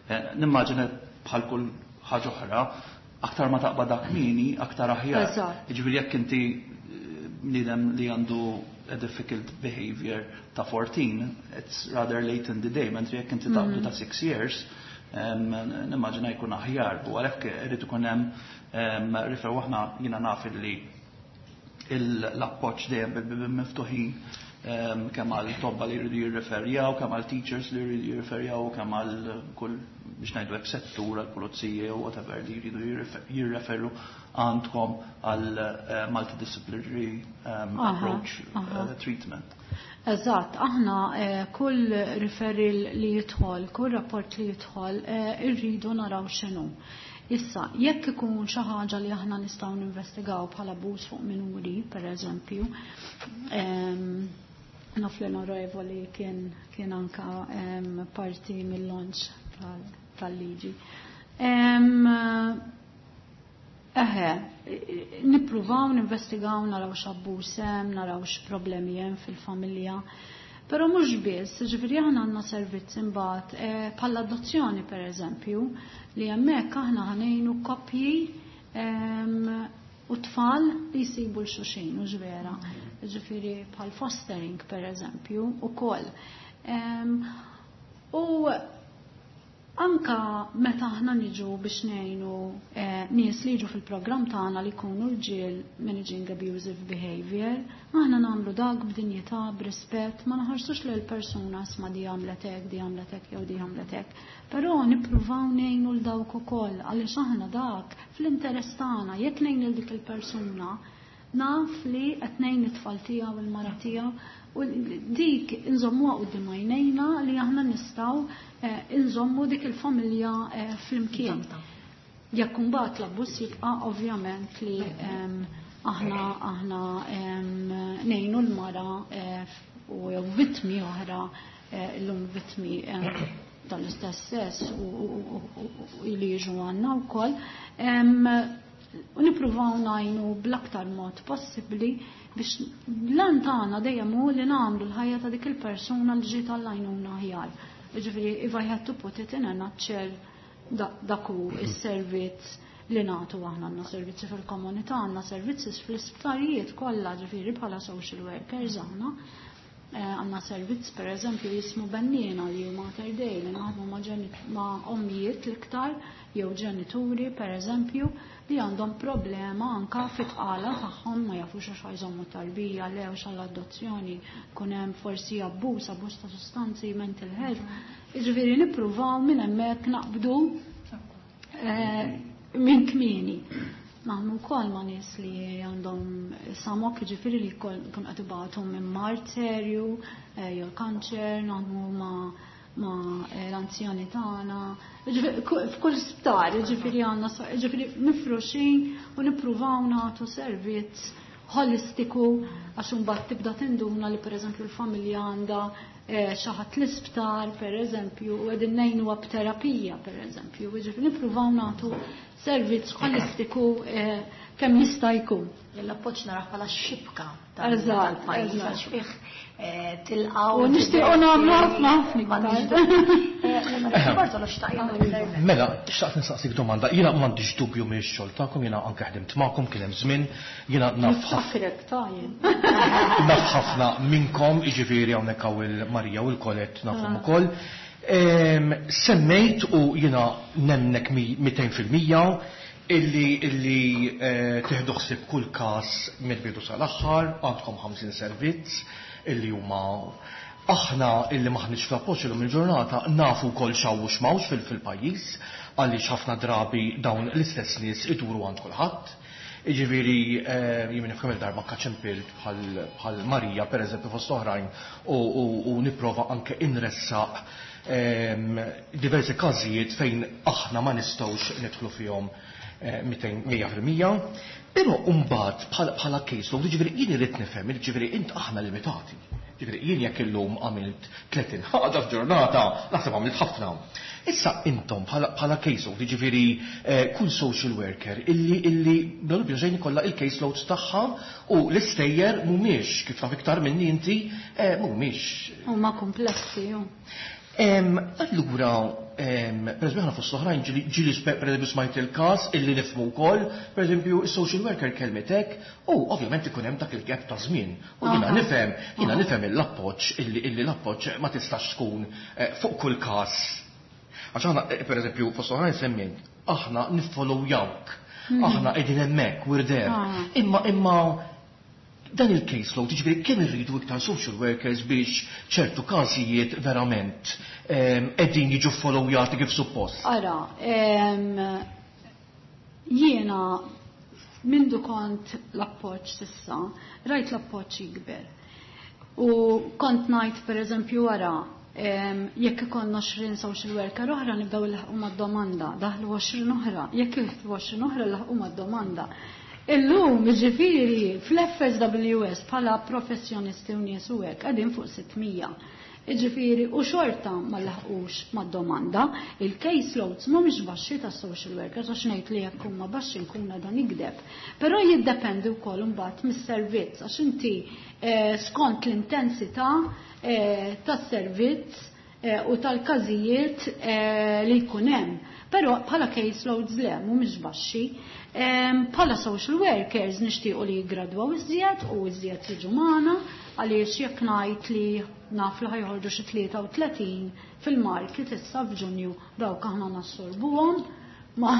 eh, nimmaġina bħal kull ħaġa oħra, aktar ma taqbad kmieni, aktar aħjar. Jiġifieri jekk inti eh, bniedem li għandu a difficult behavior ta' fourteen, it's rather late in the day, mentri jekk inti taqbdu ta' six years, nimmaġina jkun aħjar. U għalhekk irid ikun hemm refer aħna jiena naf li l-appoġġ dejjem bil miftuħin, kemm għal tobba li jridu jirreferjaw, kemm għal teachers li jridu jirreferjaw, kemm għal kull, biex ngħidu hekk, settur, għal pulizija u whatever li jridu jirreferu għandkom għal eh, multidisciplinary um, approach uh, treatment. Eżatt, aħna eh, kull referral li jidħol, kull rapport li jidħol, eh, irridu naraw x'inhu. Issa, jekk ikun xi ħaġa li aħna nistgħu ninvestigaw bħala abbuż fuq minuri, per eżempju, naf li l-onorevoli kien, kien anka parti mill-launch tal-liġi. Eħe, nippruvaw ninvestigaw, naraw x'abbuż hemm, naraw x'problemi hemm fil-familja. Però mhux biss, ġifieri aħna għandna servizz imbagħad eh, bħala adozzjoni per eżempju, li hemmhekk aħna ħa ngħinu koppji u tfal li jsibu 'l xulxin, u vera. Ġifieri bħal fostering per eżempju ukoll. U anka meta aħna niġu biex ngħinu eh, nies li jiġu fil-programm tagħna li jkunu rġiel managing abusive behavior, aħna nagħmlu dak b'dinjità, b'rispett, ma naħarsux lil persuna isma' di għamlet hekk, di għamlet hekk jew di għamlet hekk. Però nippruvaw ngħinu 'l dawk ukoll, għaliex aħna dak fl-interess tagħna. Jekk ngħin lil dik il-persuna, naf li qed ngħin it-tfal tiegħu u l-mara tiegħu, u dik inżommuha quddiem għajnejna li aħna nistgħu eh, inżommu dik il-familja eh, flimkien. Jekk imbagħad l-abbuż jibqa', ovvjament li aħna aħna ngħinu l-mara eh, u jew vittmi oħra, illum vittmi tal-istess sess u li jiġu għandna wkoll. U nippruvaw ngħinu bl-aktar mod possibbli biex l-għan tagħna dejjem hu li nagħmlu l-ħajja ta' dik il-persuna li ġiet għall-għajnuna aħjar. Ġifieri if I had to put it in a nutshell, dak hu is-servizz li nagħtu aħna. Għandna servizzi fil-komunità, għandna servizzi fl-isptarijiet kollha, ġifieri bħala social workers aħna. Eh, għandna servizz per eżempju jismu Benniena, li huma Mater Dei, li naħdmu ma' ommijiet l-iktar jew ġenituri per eżempju li għandhom problema anka fit-tqala tagħhom, ma jafux għax jżommu tarbija le u l-adozzjoni, kun hemm forsi abbuż, abbuż ta' sustanzi, mental health. Jiġifieri nippruvaw minn hemmhekk naqbdu eh, minn kmieni. Naħdmu wkoll ma' nies li għandhom samok, ġifieri li jkun qed ibatu minn mard serju eh, jew kanċer, naħdmu ma' ma' eh, l-anzjani tagħna. F'kull sptar, ġifieri għandna, ġifieri mifruxin u nippruvaw nagħtu servizz holistiku, għax imbagħad tibda tinduna li pereżempju l-familja għandha eh, xi ħadd l-isptar pereżempju u qegħdin ngħinuha b'terapija pereżempju. Ġifieri nippruvaw nagħtu servizz holistiku eh, kemm jista' jkun. L-appoġġ narah bħala xibka tal-pajjiż għax fih eh, tilqgħu. U nixtiequ nagħmlu ħafna ħafna. Eh, Bartolo xtaq jagħmel. Mela, xtaqt nistaqsik domanda. Jiena m'għandix dubju mix-xogħol tagħkom, jiena anke ħdimt magħkom, kien hemm żmien, jiena naf naf ħafna minnkom, jiġifieri hawnhekk hawn il-Marija u l-Kolet nafhom ukoll. Semmejt u jiena nemnek mitejn fil-mija illi illi eh, tieħdu ħsieb kull każ mill-bidu sal-aħħar, għandkom ħamsin servizz illi huma aħna illi maħniex fl-appoġġ illum il-ġurnata nafu wkoll x'hawn u x'm'hawnx fil-pajjiż, għaliex ħafna drabi dawn l-istess nies iduru għand kulħadd. Jiġifieri jien nifhem il-darba kaċempilt bħal Marija pereżempju fost oħrajn u nipprova anke inressaq diversi każijiet fejn aħna ma nistgħux nidħlu fihom mija fil-mija. Però mbagħad bħala caseload, jiġifieri jien irid nifhem, jiġifieri int aħna limitati. Jiġifieri jien jekk illum għamilt tletin ħaġa f'ġurnata, naħseb għamilt ħafna. Issa intom bħala caseload, jiġifieri kull social worker illi illi bla dubju xejn ikollha il-caseloads tagħha u l-istejjer mhumiex kif taf iktar minni inti mhumiex. Huma komplessi. Allura, per eżempju, aħna fost oħrajn ġieli per eżempju smajt il-każ illi nifhmu wkoll, per eżempju, is-social worker kelmitek u ovvjament ikun hemm dak il-gap ta' żmien. U jiena nifhem, jiena nifhem l-appoġġ illi l-appoġġ ma tistax tkun fuq kull każ. Għax aħna, per eżempju, fost oħrajn semmejt, aħna niffollowjawk, aħna qegħdin hemmhekk, we're there. Imma imma dan il-caseload, jiġifieri kemm irridu iktar social workers biex ċertu każijiet verament qegħdin jiġu followjati kif suppost? Ara, jiena mindu kont l-appoġġ s'issa, rajt l-appoġġ jikber. U kont ngħid pereżempju wara, jekk ikollna għoxrin social worker oħra nibdew nlaħqu mad-domanda, daħlu għoxrin oħra, jekk jidħlu għoxrin oħra nlaħqu mad-domanda. Illum, jiġifieri, fl-F S W S bħala professjonisti u nies u hekk qegħdin fuq sitt mija. Jiġifieri, u xorta ma laħqux mad-domanda, il-caseloads mhumiex baxxi ta' social workers, għax ngħid li jekk huma baxxi nkun dan nikdeb. Però jiddependi wkoll imbagħad mis-servizz, għax inti skont l-intensità tas-servizz u tal-każijiet li jkun hemm. Però bħala caseloads le, mhumiex baxxi. Bħala social workers nixtiequ li jigradwaw iżjed u iżjed jiġu magħna, għaliex jekk ngħid li naf li ħajħorġu xi tlieta u tletin fil-market issa f'Ġunju, dawk aħna nassorbuhom. Ma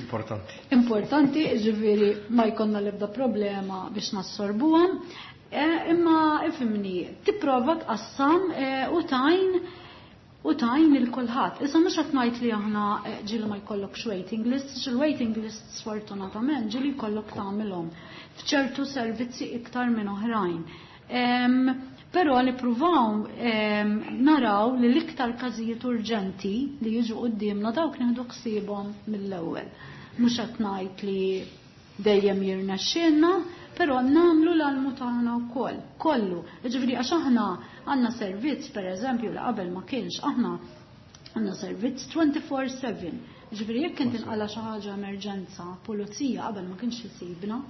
Importanti. Importanti, ġifieri ma jkollna l-ebda problema biex nassorbuhom. Imma ifhimni, tipprova tqassam u tajn u tajn il kulħadd. Issa mhux qed ngħid li aħna ġieli ma jkollokx waiting list, il-waiting list sfortunatament ġieli jkollok tagħmilhom f'ċertu servizzi iktar minn oħrajn. Però nippruvaw naraw li l-iktar każijiet urġenti li jiġu quddiemna dawk nieħdu ħsiebhom mill-ewwel. Mhux qed ngħid li dejjem jirnexxielna, però nagħmlu l-almu tagħna wkoll, kollu. Jiġifieri għax aħna għandna servizz pereżempju li qabel ma kienx, aħna għandna servizz twenty-four seven. Jiġifieri jekk inti nqala xi ħaġa emerġenza, pulizija qabel ma kienx isibna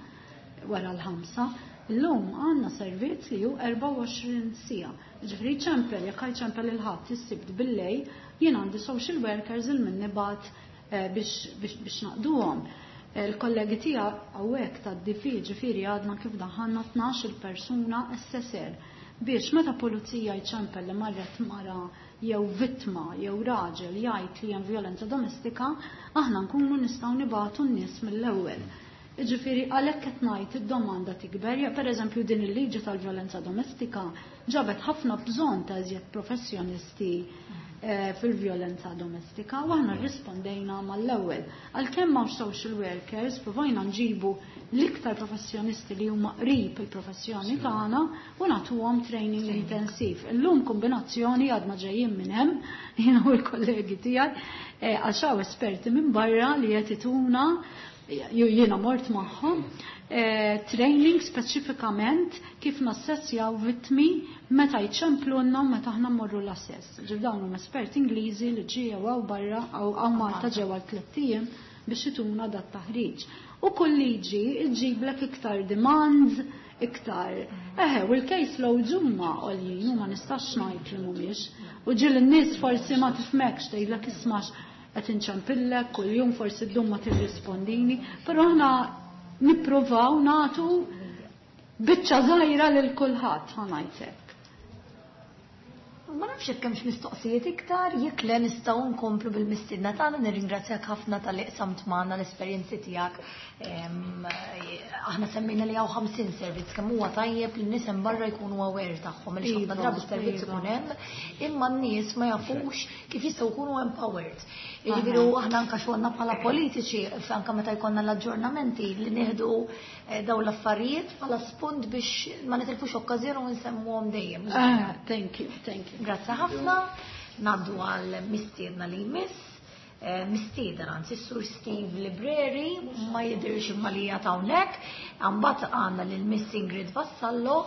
wara l-ħamsa, illum għandna servizz li hu erbgħa u għoxrin siegħa. Jiġifieri ċempel, jekk ċempel il-Ħadd, is-Sibt billejl, jien għandi social workers il minni bat biex biex naqduhom. Il-kollegi tiegħi hawnhekk tad-D F, ġifieri għadna kif daħħalna tnax-il persuna S S R biex meta pulizija jċempel li marret mara jew vittma jew raġel jgħid li hemm violenza domestika, aħna nkunu nistgħu nibagħtu n-nies mill-ewwel. Ġifieri għalhekk qed ngħid id-domanda tikber, ja pereżempju din il-liġi tal-violenza domestika ġabet ħafna bżonn ta' iżjed professjonisti fil-violenza domestika u aħna rrispondejna mal-ewwel. Għalkemm m'hawnx social workers, provajna nġibu l-iktar professjonisti li huma qrib il-professjoni tagħna u nagħtuhom training intensiv. Illum kombinazzjoni għadna ġejjin minn hemm, jiena u l-kollegi tiegħi, għax hawn esperti minn barra li qed ituna, jiena mort magħhom, training speċifikament kif nassessjaw vittmi meta jċemplunna u meta aħna mmorru l-assess. Ġif dawn huma esperti Ingliżi li ġew hawn barra hawn Malta ġew għal tliet ijiem biex ituna dat taħriġ. U kull liġi ġġiblek iktar demands, iktar. Eħe, u l-case loads huma għoljin u ma nistax ngħid li mhumiex. U ġieli n-nies forsi ma tifhmekx, tgħidlek ismax qed inċempillek kuljum, forsi ddum ma tirrispondini, però aħna nippruvaw nagħtu biċċa żgħira lil kulħadd, ħa ngħid hekk. Ma nafx jekk hemmx mistoqsijiet iktar, jekk le nistgħu nkomplu bil-mistiedna tagħna, nirringrazzjak ħafna talli qsamt magħna l-esperjenzi tiegħek. Aħna semmejna li hawn ħamsin servizz, kemm huwa tajjeb li nies hemm barra jkunu aware tagħhom, għaliex ħafna drabi s-servizz ikun hemm, imma n-nies ma jafux kif jistgħu jkunu empowered. Jiġifieri aħna anke xogħolna bħala politiċi, anke meta jkollna l-aġġornamenti li nieħdu dawn l-affarijiet bħala spunt biex ma nitilfux okkażjoni u nsemmuhom dejjem. Ah, thank you, thank you. Grazzi ħafna. Ngħaddu għal mistiedna li jmiss. Mistieden anzi Sur Steve Libreri, ma jidhirx imma li qiegħed hawnhekk. Imbagħad għandna lil Miss Ingrid Vassallo,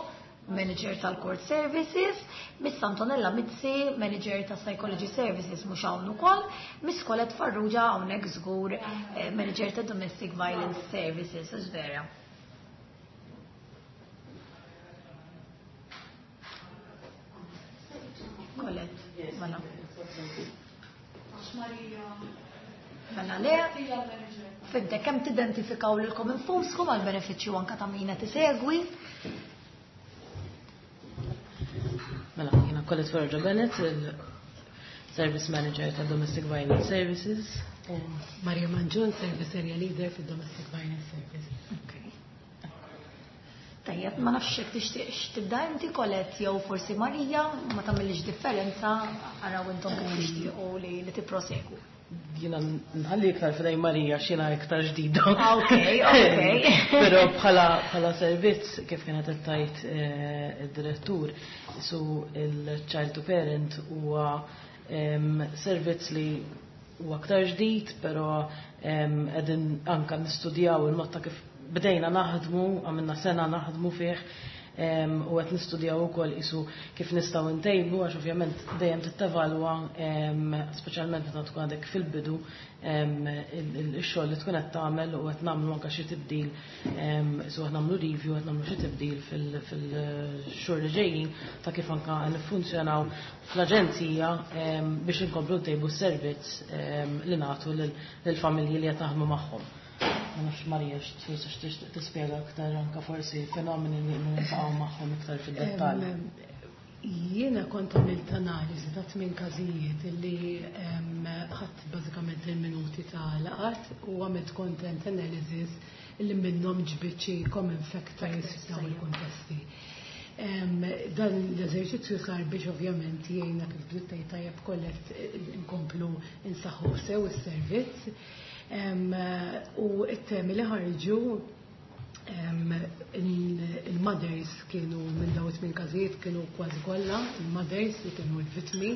Manager tal-Court Services, Miss Antonella Mizzi, Manager ta' Psychology Services mhux hawn ukoll, Miss Colette Farrugia hawnhekk żgur, Manager ta' Domestic Violence Services, hux vera. Colette, mela. Mela le, fidde kemm tidentifikaw lilkom infuskom għal benefiċċju anke ta' min qed isegwi. Mela, jiena Colette Farrugia Bennett, il-Service Manager ta' Domestic Violence Services. U Maria Manġun, Service Area Leader fil Domestic Violence Services. Okay. Tajjeb, ma nafx jekk tixtieqx tibda inti Colette jew forsi Marija, ma tagħmilx differenza, araw intom kif tixtiequ li, li tipprosegu. Jiena nħalli iktar f'idej Marija x'jiena iktar ġdida. Ok, ok. Però bħala bħala servizz kif kienet qed tgħid id-direttur, su il-child to parent huwa servizz li huwa aktar ġdid, però qegħdin anke nistudjaw il-mod ta' kif bdejna naħdmu, għamilna sena naħdmu fih, u qed nistudjaw ukoll isu kif nistgħu ntejbu, għax ovvjament dejjem tittevalwa, speċjalment meta tkun għadek fil-bidu ix-xogħol li tkun qed tagħmel, u qed nagħmlu anke xi tibdil, isu qed nagħmlu review, qed nagħmlu xi tibdil fil-xhur li ġejjin ta' kif anke niffunzjonaw fl-aġenzija biex inkomplu ntejbu s-servizz li nagħtu lill-familji li qed naħdmu magħhom. Ma nafx Marija forsi x'tixtieq tispjega aktar anke forsi fenomeni li niltaqgħu magħhom iktar fid-dettall. Jiena kont għamilt analiżi ta' tmien każijiet li ħadd bażikament il-minuti ta' laqat u għamilt content analysis li minnhom ġbid xi common factors f'dawn il-kuntesti. Dan l-eżerċizzju sar biex ovvjament jgħinna kif bdiet tgħid tajjeb Colette nkomplu insaħħu sew is-servizz. U it-temi li ħarġu il-mothers kienu minn dawn it-tmien każijiet kienu kważi kollha il-mothers li kienu l-vittmi,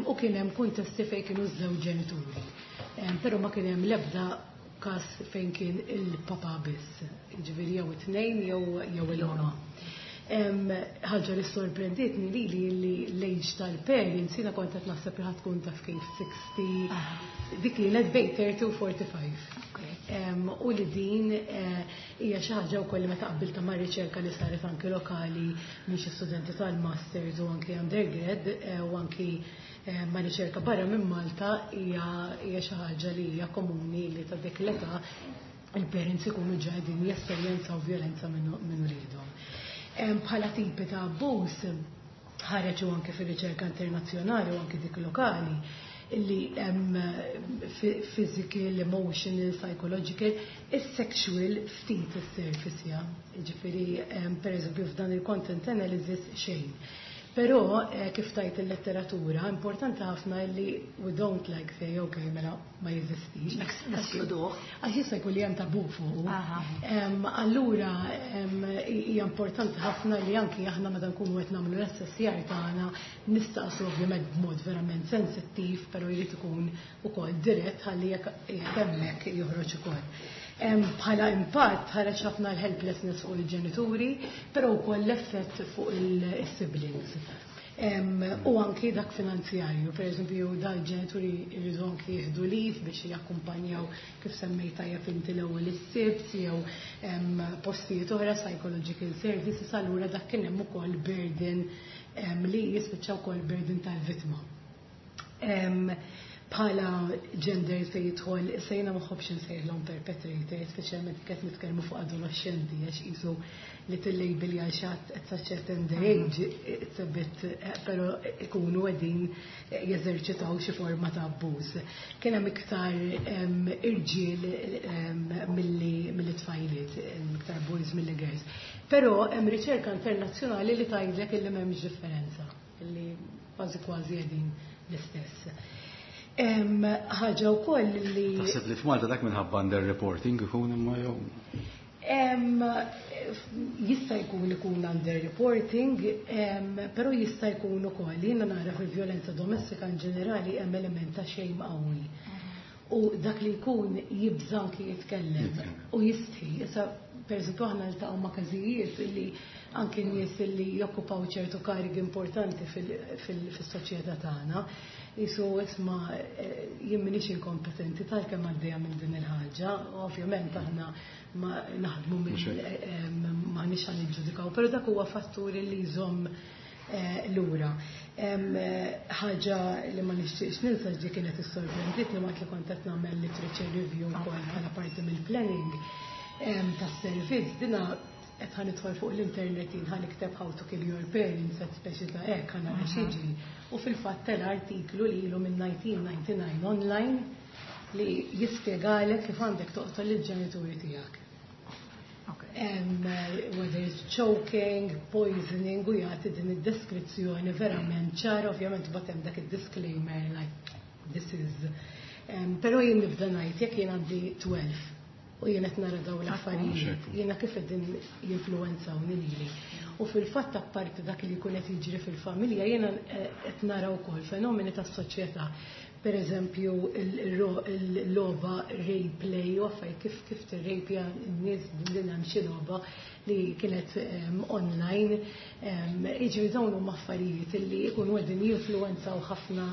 u kien hemm kuntesti fejn kienu ż-żewġ ġenituri. Però ma kien hemm l-ebda każ fejn kien il-papa biss, jiġifieri jew it-tnejn jew il-omm. Ħaġa li sorprendietni lili li l-age tal-parents, jiena kont qed naħseb li ħadd tkun taf kif sixty, dik kienet bejn thirty u forty-five. U li din hija xi ħaġa wkoll li meta qabbilta ma' riċerka li saret anki lokali minn xi studenti tal-masters u anki undergrad u anki ma' riċerka barra minn Malta hija xi ħaġa li hija komuni li ta' dik l-età il-parents ikunu ġa qegħdin jesperjenzaw vjolenza minn uliedhom. Bħala tipi ta' abbuż ħareġ u anke fir-riċerka internazzjonali u anke dik lokali illi hemm physical, emotional, psychological, is-sexual ftit is-surface ja. Jiġifieri pereżempju f'dan il-content analysis xejn. Però kif tajt il-letteratura, importanti ħafna li we don't like say, okay, mela ma jeżistix. Neskluduh. Għax jista' jkun li hemm tabu fuq. Allura hija importanti ħafna li anki aħna meta nkunu qed nagħmlu l-assessjar tagħna nistaqsu ovvjament b'mod verament sensittiv, però jrid ikun ukoll dirett ħalli jekk hemmhekk joħroġ ukoll. Bħala impatt ħareġ ħafna l-helplessness fuq il-ġenituri, però wkoll l-effett fuq il-siblings. U anki dak finanzjarju, per eżempju, dal-ġenituri jridu anki jieħdu leave biex jakkumpanjaw kif semmejt tajjeb inti l-ewwel is-sibt jew postijiet oħra psychological services, allura dak kien hemm ukoll burden li jispiċċa wkoll burden tal-vittma. Bħala gender se jidħol, sejna ma nħobbx insejħilhom perpetrators, speċjalment qed nitkellmu fuq adolescenti, għax qisu li tillabel għal xi ħadd at such a tender age, it's a bit, però ikunu qegħdin jeżerċitaw xi forma ta' abbuż. Kien hemm iktar irġiel milli milli tfajliet, iktar boys milli girls. Però hemm riċerka internazzjonali li tgħidlek illi m'hemmx differenza, illi kważi kważi qegħdin l-istess. Ħaġa wkoll li Taħseb li f'Malta dak minħabba under-reporting ikun imma jew? Jista' jkun ikun under-reporting, però jista' jkun ukoll jiena nara fil-vjolenza domestika in ġenerali hemm element ta' shame qawwi. U dak li jkun jibża' anki jitkellem u jistħi. Issa, per eżempju, aħna niltaqgħu ma' każijiet li anki nies li jokkupaw ċertu karigi importanti fis-soċjetà tagħna jisu isma' jien m'iniex inkompetenti tal-kemm għaddejja minn din il-ħaġa. Ovvjament aħna ma naħdmu m'aħniex ħa niġġudikaw, però dak huwa fattur li jżomm lura. Ħaġa li ma nixtieqx ninsa ġi kienet issorprenditni waqt li kont qed nagħmel literature review wkoll bħala parti mill-planning tas-servizz, dina qed ħa nidħol fuq l-internet, jien ħa nikteb "how to kill your parents", qed speċi ta' hekk ħa nara x'jiġri. U fil-fatt tela artiklu li ilu minn elf disa' mija u disgħa u disgħin online li jispjegalek kif għandek toqtol il-ġenituri tiegħek. Whether it's choking, poisoning, u jagħti din id-deskrizzjoni verament ċara, ovvjament bagħad hemm dak id-disclaimer like this is. Però jien nibda ngħid, jekk jien għandi tnax u jien qed nara dawn l-affarijiet, jiena kif qegħdin jinfluwenzawni lili? U fil-fatt, apparti dak li jkun qed jiġri fil-familja, jiena qed nara wkoll fenomeni tas-soċjetà. Per eżempju, il-logħba rape play u affarijiet kif kif tirrejpja n-nies, din hemm xi logħba li kienet online. Jiġri dawn huma affarijiet li jkunu qegħdin jinfluwenzaw ħafna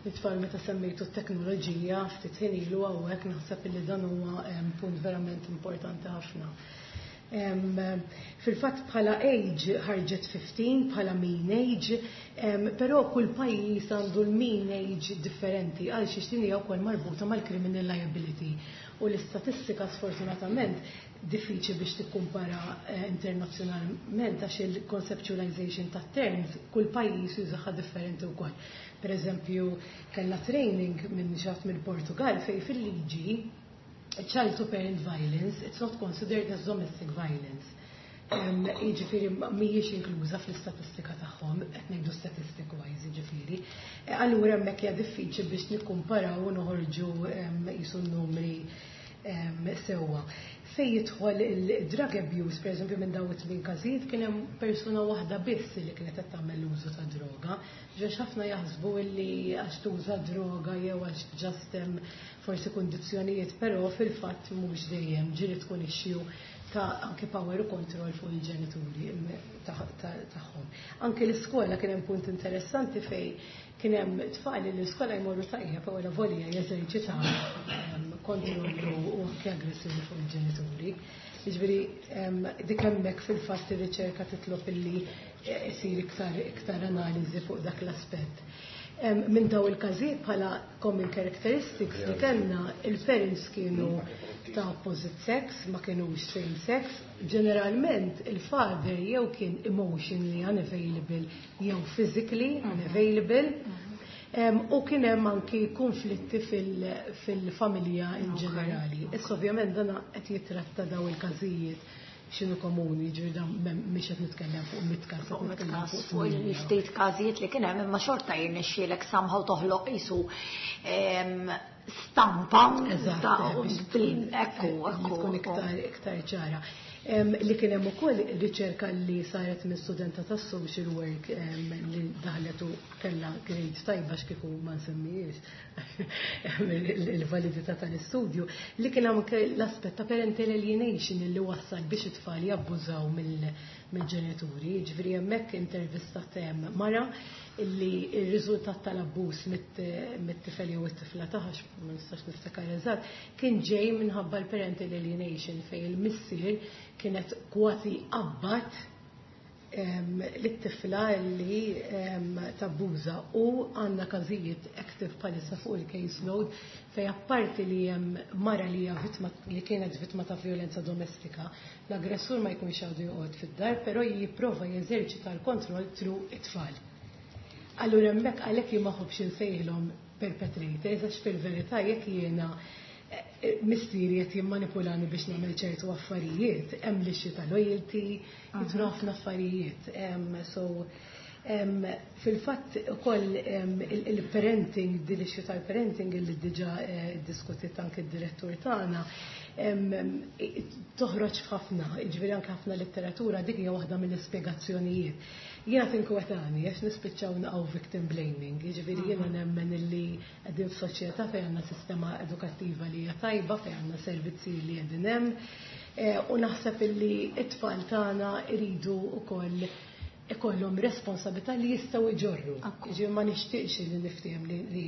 it-tfal. Meta semmejtu t-teknoloġija ftit ħin ilu hawnhekk, naħseb li dan huwa punt verament importanti ħafna. Fil-fatt bħala age ħarġet ħmistax bħala mean age, però kull pajjiż għandu l-mean age differenti għal xiex din hija wkoll marbuta mal-criminal liability. U l-istatistika sfortunatament diffiċli biex tikkumpara eh, internazzjonalment għax il-conceptualization ta' terms kull pajjiż jużaha differenti wkoll. Per eżempju, kellna training minn xi ħadd mill-Portugal fej fil-liġi child to parent violence, it's not considered as domestic violence. Jiġifieri mhijiex inkluża fl-istatistika tagħhom, qed ngħidu statistic wise jiġifieri. Allura hemmhekk hija diffiċli biex nikkumparaw u noħorġu qisu n-numri sewwa. Fej jidħol il-drug abuse, per eżempju, minn dawn it-tmien każijiet kien hemm persuna waħda biss li kienet qed tagħmel l-użu ta' droga. Għax ħafna jaħsbu li għax tuża droga jew għax just hemm forsi kundizzjonijiet, però fil-fatt mhux dejjem, ġieli tkun issue ta' anke power u control fuq il-ġenituri tagħhom. Anke l-iskola kien hemm punt interessanti fej kien hemm tfal li l-iskola jmorru tajjeb u volja jeżerċitaw kontrollu u anke aggressjoni fuq il-ġenituri. Jiġifieri dik hemmhekk fil-fatt ir-riċerka titlob illi isir iktar iktar analiżi fuq dak l-aspett. Minn daw il-każijiet bħala common characteristics li kellna, il-parents kienu ta' opposite sex, ma kienux same sex. Ġeneralment il-father jew kien emotionally unavailable jew physically unavailable. U kien hemm anki konflitti fil-familja in ġenerali. Issa ovvjament dana qed jitratta daw il-każijiet x'inhu komuni, ġifieri dan mhix qed nitkellem fuq mitt każ. Fuq mitt każ, fuq il-ftit każijiet li kien hemm, imma xorta jirnexxielek somehow toħloq qisu stampa. Eżatt, ekku, ekku. Tkun iktar iktar ċara. Li kien hemm ukoll riċerka li saret minn studenta tas social work li daħlet u kellha grade tajba, x'kieku ma nsemmijiex il-validità tal-istudju, li kien hemm l-aspett ta' parental alienation li wassal biex it-tfal jabbużaw mill-ġenituri. Ġifieri hemmhekk intervistat mara illi il-riżultat tal-abbuż mit-tifel jew it-tifla tagħha, ma nistax niftakar eżatt, kien ġej minħabba l-parental alienation fejn il-missier kienet kważi abbat lit-tifla li tabbuża u għandna każijiet active bħalissa fuq il-caseload fej apparti li hemm mara li hija vittma li kienet vittma ta' violenza domestika, l-aggressur ma jkunx għadu joqgħod fid-dar, però jipprova jeżerċita l-kontroll through it-tfal. Allura hemmhekk għalhekk jien ma ħobbx insejħilhom perpetrators għax fil-verità jekk jiena missieri qed jimmanipulani biex nagħmel ċertu affarijiet, hemm l-issue ta' loyalty, jidhru ħafna affarijiet. So fil-fatt ukoll il-parenting, din l-issue tal-parenting li diġà diskutit anke d-direttur tagħna, toħroġ f'ħafna, jiġifieri anke ħafna letteratura dik hija waħda mill-ispjegazzjonijiet. Jiena tinkwetani għax nispiċċaw naqgħu victim blaming, jiġifieri jiena nemmen illi qegħdin f'soċjetà fejn għandna sistema edukattiva li hija tajba, fejn għandna servizzi li qegħdin hemm, u naħseb illi t-tfal tagħna jridu wkoll ikollhom responsabilità li jistgħu jġorru. Jiġifieri ma nixtieqx li niftehim li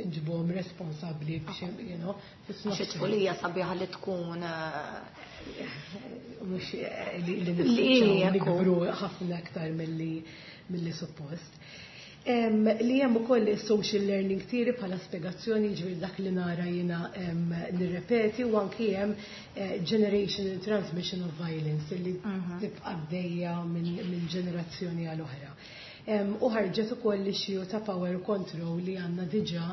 nġibuhom responsabbli biex you know, Xi tfulija sabiħa li tkun mhux li nispiċċaw nikbru ħafna aktar milli suppost. Li hemm ukoll social learning theory bħala spjegazzjoni, jiġifieri dak li nara jiena nirrepeti, u anki hemm generational transmission of violence li tibqa' għaddejja minn ġenerazzjoni għal oħra. U ħarġet ukoll l-issue ta' power control li għandna diġà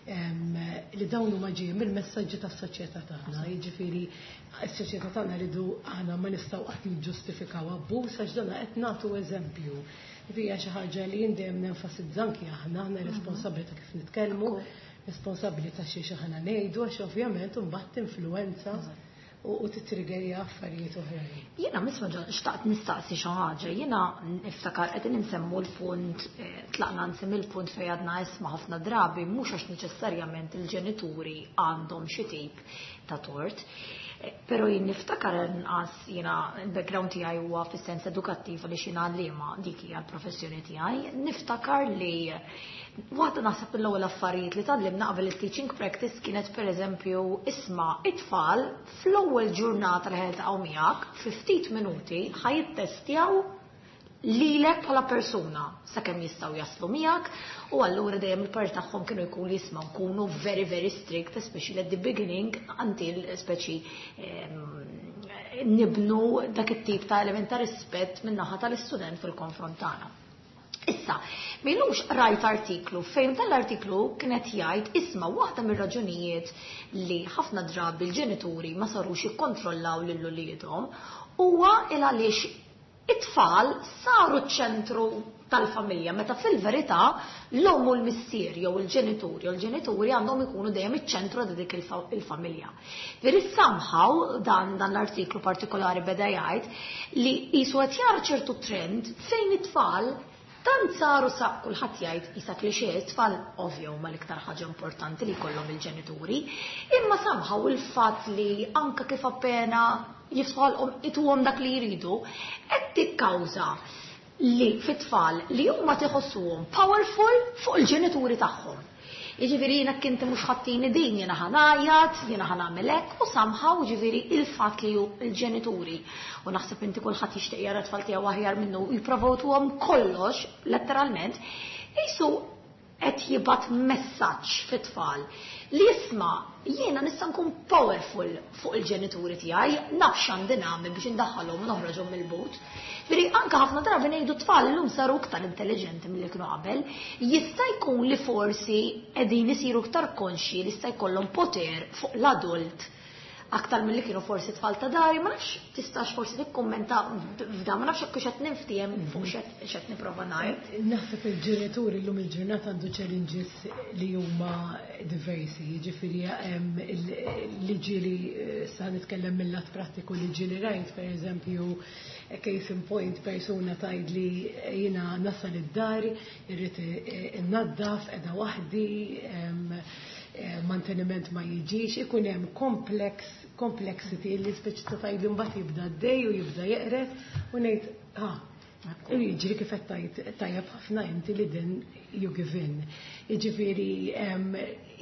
li dawn huma ġejjin mill-messaġġi tas-soċjetà tagħna. Jiġifieri s-soċjetà tagħna rridu aħna ma nistgħu qatt niġġustifikaw abbuż għax dan qed nagħtu eżempju. Hija xi ħaġa li jien dejjem nenfasizza anki aħna, aħna responsabbli ta' kif nitkellmu, responsabbli ta' xi aħna ngħidu għax ovvjament imbagħad tinfluwenza u titriggerja affarijiet oħrajn. Jiena misma xtaqt nistaqsi xi ħaġa, jiena niftakar qegħdin insemmu l-punt, tlaqna nsemmi l-punt fejn għadna isma' ħafna drabi mhux għax neċessarjament il-ġenituri għandhom xi tip ta' tort. Pero jien niftakar inqas jiena il-background tiegħi huwa fis-sens edukattiv għaliex jiena għalliema dik hija l-professjoni tiegħi. Niftakar li waħda naħseb l-ewwel affarijiet li tgħallimna qabel il-teaching practice kienet pereżempju isma' it-tfal fl-ewwel ġurnata li ħeltaqgħu miegħek fi ftit minuti ħa jittestjaw lilek bħala persuna sakemm jistgħu jaslu miegħek, u allura dejjem il-parti tagħhom kienu jkunu jisma' nkunu very very strict, especially at the beginning until speċi nibnu dak it-tip ta' element ta' rispett min-naħa tal-istudent fil-konfront tagħna. Issa, m'ilux rajt artiklu fejn dan l-artiklu kienet jgħid isma' waħda mir-raġunijiet li ħafna drabi l-ġenituri ma sarux jikkontrollaw lil uliedhom huwa il għaliex it-tfal saru ċ-ċentru tal-familja, meta fil-verità l-omm u l-missier jew il-ġenituri jew il-ġenituri għandhom ikunu dejjem iċ-ċentru ta' dik il-familja. Veri somehow dan dan l-artiklu partikolari beda jgħid li qisu qed jara ċertu trend fejn it-tfal tant saru sa kulħadd jgħid qisha cliché, it-tfal ovvju huma l-iktar ħaġa importanti li jkollhom il-ġenituri, imma somehow il-fatt li anka kif appena jiftħolhom ituhom dak li jridu, qed tikkawża li fit-tfal li huma tiħossuhom powerful fuq il-ġenituri tagħhom. Jiġifieri jiena kinti mhux ħattini din, jiena ħa ngħajjat, jiena ħa nagħmel hekk, u somehow jiġifieri il-fatt li l-ġenituri, u naħseb inti kulħadd jixtieq jara t-tfal tiegħu aħjar minnu u jipprovawtuhom kollox, letteralment, qisu qed jibgħat messaġġ fit-tfal li jisma' jiena nista' nkun powerful fuq il-ġenituri tiegħi, naf x'għandi nagħmel biex indaħħalhom u noħroġhom mill-but. Veri anka ħafna drabi ngħidu tfal illum saru iktar intelligenti milli kienu qabel, jista' jkun li forsi qegħdin isiru iktar konxji li jista' jkollhom poter fuq l-adult aktar milli kienu forsi tfal ta' dari, ma nafx tistax forsi tikkummenta f'dan, ma nafx hekk x'qed ninftiehem fuq x'qed nipprova ngħid. Naħseb il-ġenituri llum il-ġurnata għandu challenges li huma diversi, jiġifieri hemm li ġieli sa nitkellem mill-lat prattiku li ġieli rajt, pereżempju, case in point, persuna tgħid li jiena nasal id-dar, irrid innaddaf, qiegħda waħdi, manteniment ma jiġix, ikun hemm complex complexity li speċi ta' tgħid li mbagħad jibda d-dej u jibda jeqret u ngħid ah, u jiġri kif qed tgħid tajjeb ħafna inti li din you give in. Jiġifieri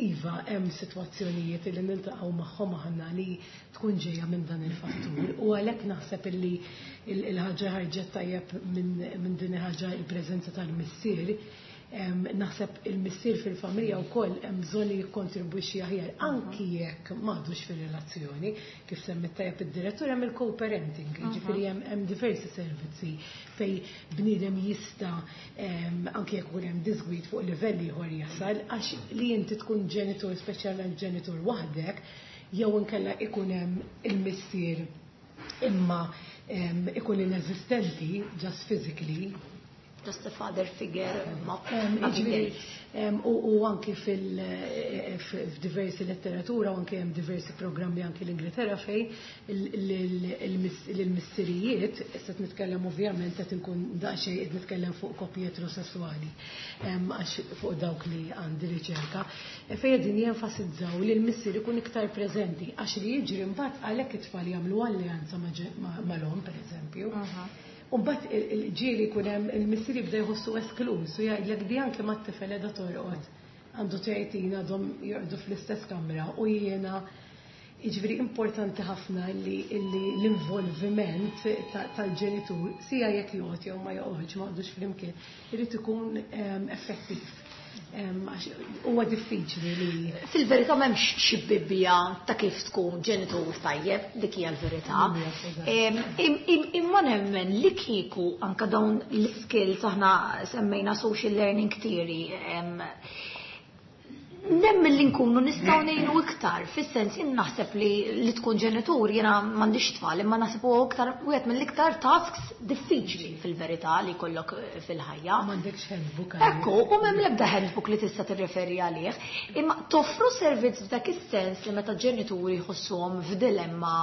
iva hemm sitwazzjonijiet li niltaqgħu magħhom aħna li tkun ġejja minn dan il-fattur u U għalhekk naħseb illi il-ħaġa ħarġet tajjeb minn din il-ħaġa, il-preżenza tal-missier. Naħseb il-missier fil-familja wkoll hemm bżonn li jikkontribwixxi aħjar, anki jekk m'għadux fir-relazzjoni, kif semmit tajjeb id-direttur, hemm il-co-parenting, jiġifieri hemm diversi servizzi fej bniedem jista', anki jekk ikun hemm disgwid fuq livell ieħor, jasal, għax li inti tkun ġenitur, speċjalment ġenitur waħdek, jew inkella ikun hemm il-missier imma ikun ineżistenti just physically, just a father figure, ma U anki fil-diversi letteratura u anki hemm diversi programmi anki l-Ingilterra fej l-missirijiet, issa nitkellem ovvjament qed inkun daqsxejn qed nitkellem fuq koppji eterosessuali, għax fuq dawk li għandi riċerka, fejn qegħdin jenfasizzaw li l-missier ikun iktar preżenti, għax li jiġri mbagħad għalhekk it-tfal jagħmlu alleanza mal-omm, pereżempju. U mbagħad ġieli jkun hemm il-missier jibda jħossu esklus u jgħidlek di anke mat-tifel qiegħda torqod għandu tletin, għadhom jorqdu fl-istess kamra u jiena. Jiġifieri importanti ħafna li l-involviment tal-ġenitur, sija jekk joqgħod jew ma joqgħodx, ma joqgħodux flimkien, irid ikun effettiv. Huwa diffiċli li Fil-verità m'hemmx xi bibbja ta' kif tkun ġenitur tajjeb, dik hija l-verità. Imma nemmen li kieku anka dawn l-skills, aħna semmejna social learning theory, nemmen li nkunu nistgħu ngħinu iktar, fis-sens jien naħseb li li tkun ġenitur, jiena m'għandix tfal, imma naħseb huwa iktar wieħed mill-iktar tasks diffiċli fil-verità li jkollok fil-ħajja. M'għandekx handbook. Ekku, u m'hemm l-ebda handbook li tista' tirreferi għalih. Imma toffru servizz f'dak is-sens li meta ġenituri jħossuhom f'dilemma,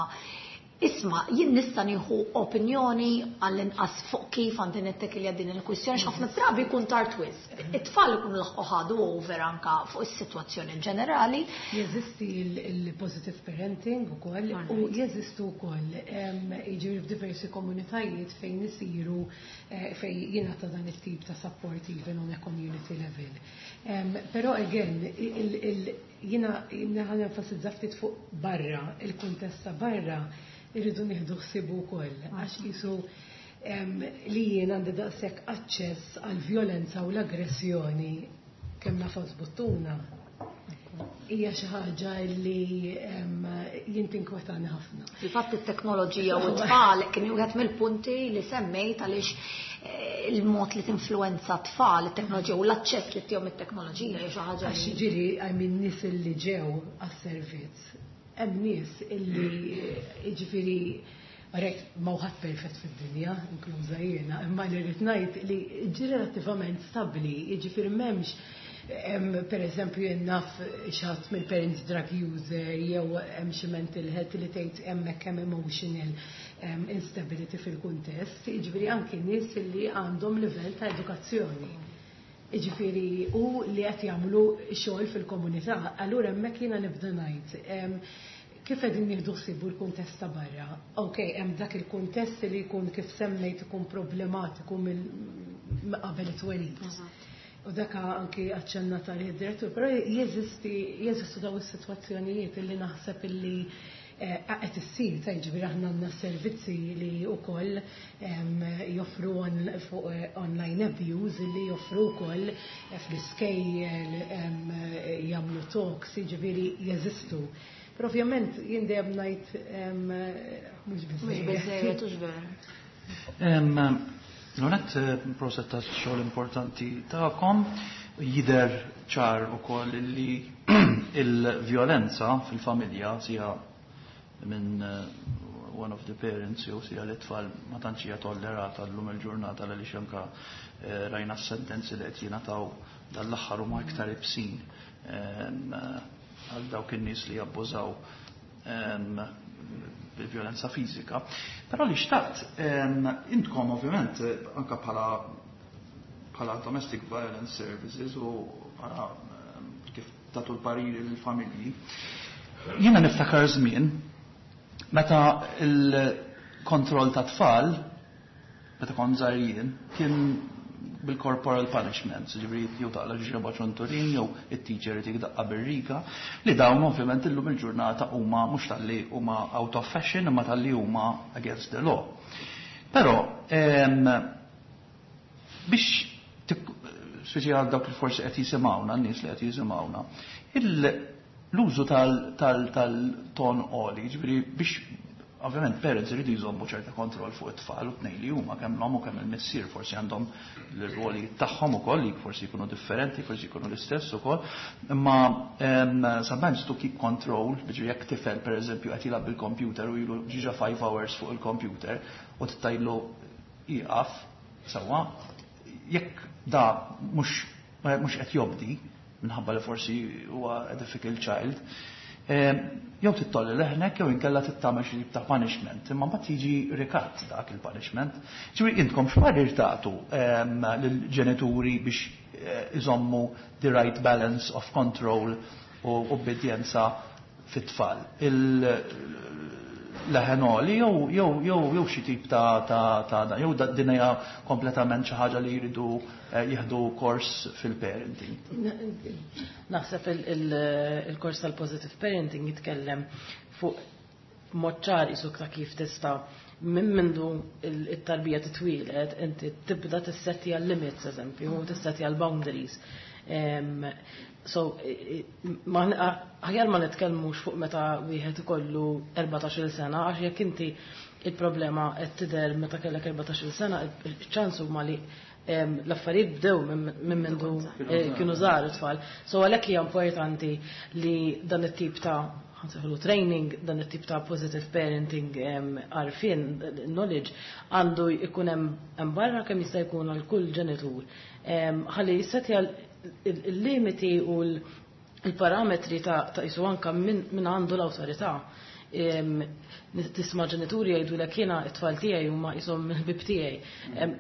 isma', jien nista' nieħu opinjoni għall-inqas fuq kif għandi nittekilja din il-kwistjoni, x'ħafna drabi jkun tard wisq. It-tfal ikunu laħqu ħadu over anka fuq is-sitwazzjoni ġenerali. Jeżisti il-positive parenting ukoll u jeżistu wkoll, jiġifieri, f'diversi komunitajiet fejn isiru, eh, fejn jingħata dan it-tip ta' support even on a community level. Però again, jiena ħa nenfasizza ftit fuq barra, il-kuntest ta' barra irridu nieħdu ħsibu wkoll, għax qisu li jien għandi daqshekk aċċess għal violenza u l-aggressjoni kemm nagħfas buttuna hija xi ħaġa li jien tinkwetani ħafna. Fil-fatt it-teknoloġija u t-tfal kien wieħed mill-punti li semmejt, għaliex eh, il-mod li tinfluenza t-tfal, it-teknoloġija u l-aċċess li ttihom it-teknoloġija hija xi ħaġa. Għax ġieli, I mean, nies li ġew għas-servizz, hemm nies illi, jiġifieri, Rek, ma ħadd perfett fid-dinja, inkluża jiena, imma li rrid ngħid li ġi relattivament stabbli, jiġifieri m'hemmx, per eżempju, naf xi ħadd mill-parents drug user jew hemm xi mental health li tgħid hemmhekk hemm emotional instability fil-kuntest, jiġifieri anki nies li għandhom livell ta' edukazzjoni. Jiġifieri u li qed jagħmlu xogħol fil-komunità, allura hemmhekk jiena nibda ngħid kif qegħdin nieħdu ħsibu l-kuntest ta' barra. Ok, hemm dak il-kuntest li jkun, kif semmejt, ikun problematiku mill qabel it-twelid. U dak anki aċċennat għalih id-direttur, però jeżisti jeżistu daw is-sitwazzjonijiet illi naħseb illi eh, qed issir ta', jiġifieri aħna għandna servizzi li wkoll joffru fuq eh, online abuse, li joffru wkoll eh, fl-iskejjel, jagħmlu talks, jiġifieri jeżistu. Però ovvjament jien dejjem ngħid mhux biżejjed. Mhux biżejjed, hux vera. L-għonet, proset ta' xogħol importanti tagħkom. Jidher ċar ukoll li il-vjolenza fil-familja, sija minn eh, one of the parents jew sija l-tfal, ma tantx hija tollerata llum il-ġurnata, għaliex anka eh, rajna s-sentenzi li qed jingħataw dal-aħħar huma iktar ibsin għal dawk in-nies li jabbużaw bil-vjolenza fiżika. Però li xtaqt, intkom ovvjament anka bħala bħala Domestic Violence Services u bħala kif tagħtu l-pariri lill-familji. Jiena niftakar żmien meta il-kontroll ta' tfal, meta kont żgħir jien, kien bil-corporal punishments, ġifieri jew taqla' ġreba ċunturin jew it-teacher itik daqqa bir-riga, li dawn ovvjament illum il-ġurnata huma mhux talli huma out of fashion imma talli huma against the law. Però biex speċi għal dawk li forsi qed jisimgħuna, n-nies li qed jisimgħuna, l-użu tal-ton għoli, ġifieri biex ovvjament parents iridu jżommu ċerta kontroll fuq it-tfal u tnejn li huma kemm l-omm u kemm il-missier forsi għandhom l-ruoli tagħhom ukoll li forsi jkunu differenti, forsi jkunu l-istess ukoll, imma sometimes to keep control, jiġifieri jekk tifel pereżempju qed jilgħab bil-computer u ilu ġiġa five hours fuq il-computer u tgħidlu ieqaf sewwa, jekk da mhux mhux qed jobdi minħabba li forsi huwa a difficult child, jew tgħolli leħnek jew inkella tagħmel xi tip ta' punishment, imma mbagħad jiġi rikatt dak il-punishment. Ġifieri intkom x'parir tagħtu lill-ġenituri biex iżommu the right balance of control u obbedjenza fit-tfal? Il-leħen għoli jew jew jew jew xi tip ta' ta' ta' jew din hija kompletament xi ħaġa li jridu jieħdu kors fil-parenting. Naħseb il-kors tal-positive parenting jitkellem fuq mod ċar isuk ta' kif tista' minn mindu it-tarbija titwieled inti tibda tissettja l-limits eżempju, u tissettja l-boundaries. So, aħjar ma nitkellmux fuq meta wieħed ikollu erbatax-il sena, għax jekk inti il-problema qed tidher meta kellek erbatax-il sena, iċ-ċans huma li l-affarijiet bdew minn mindu kienu żgħar it-tfal. So għalhekk hija importanti li dan it-tip ta' ħansejħulu training, dan it-tip ta' positive parenting għarfien, knowledge, għandu jkun hemm barra kemm jista' jkun għal kull ġenitur. Ħalli jissetja il-limiti u l-parametri ta' jisu anka minn għandu l-awtorità. Tisma' ġenituri jgħidu lek jiena t-tfal tiegħi huma qishom ħbieb tiegħi.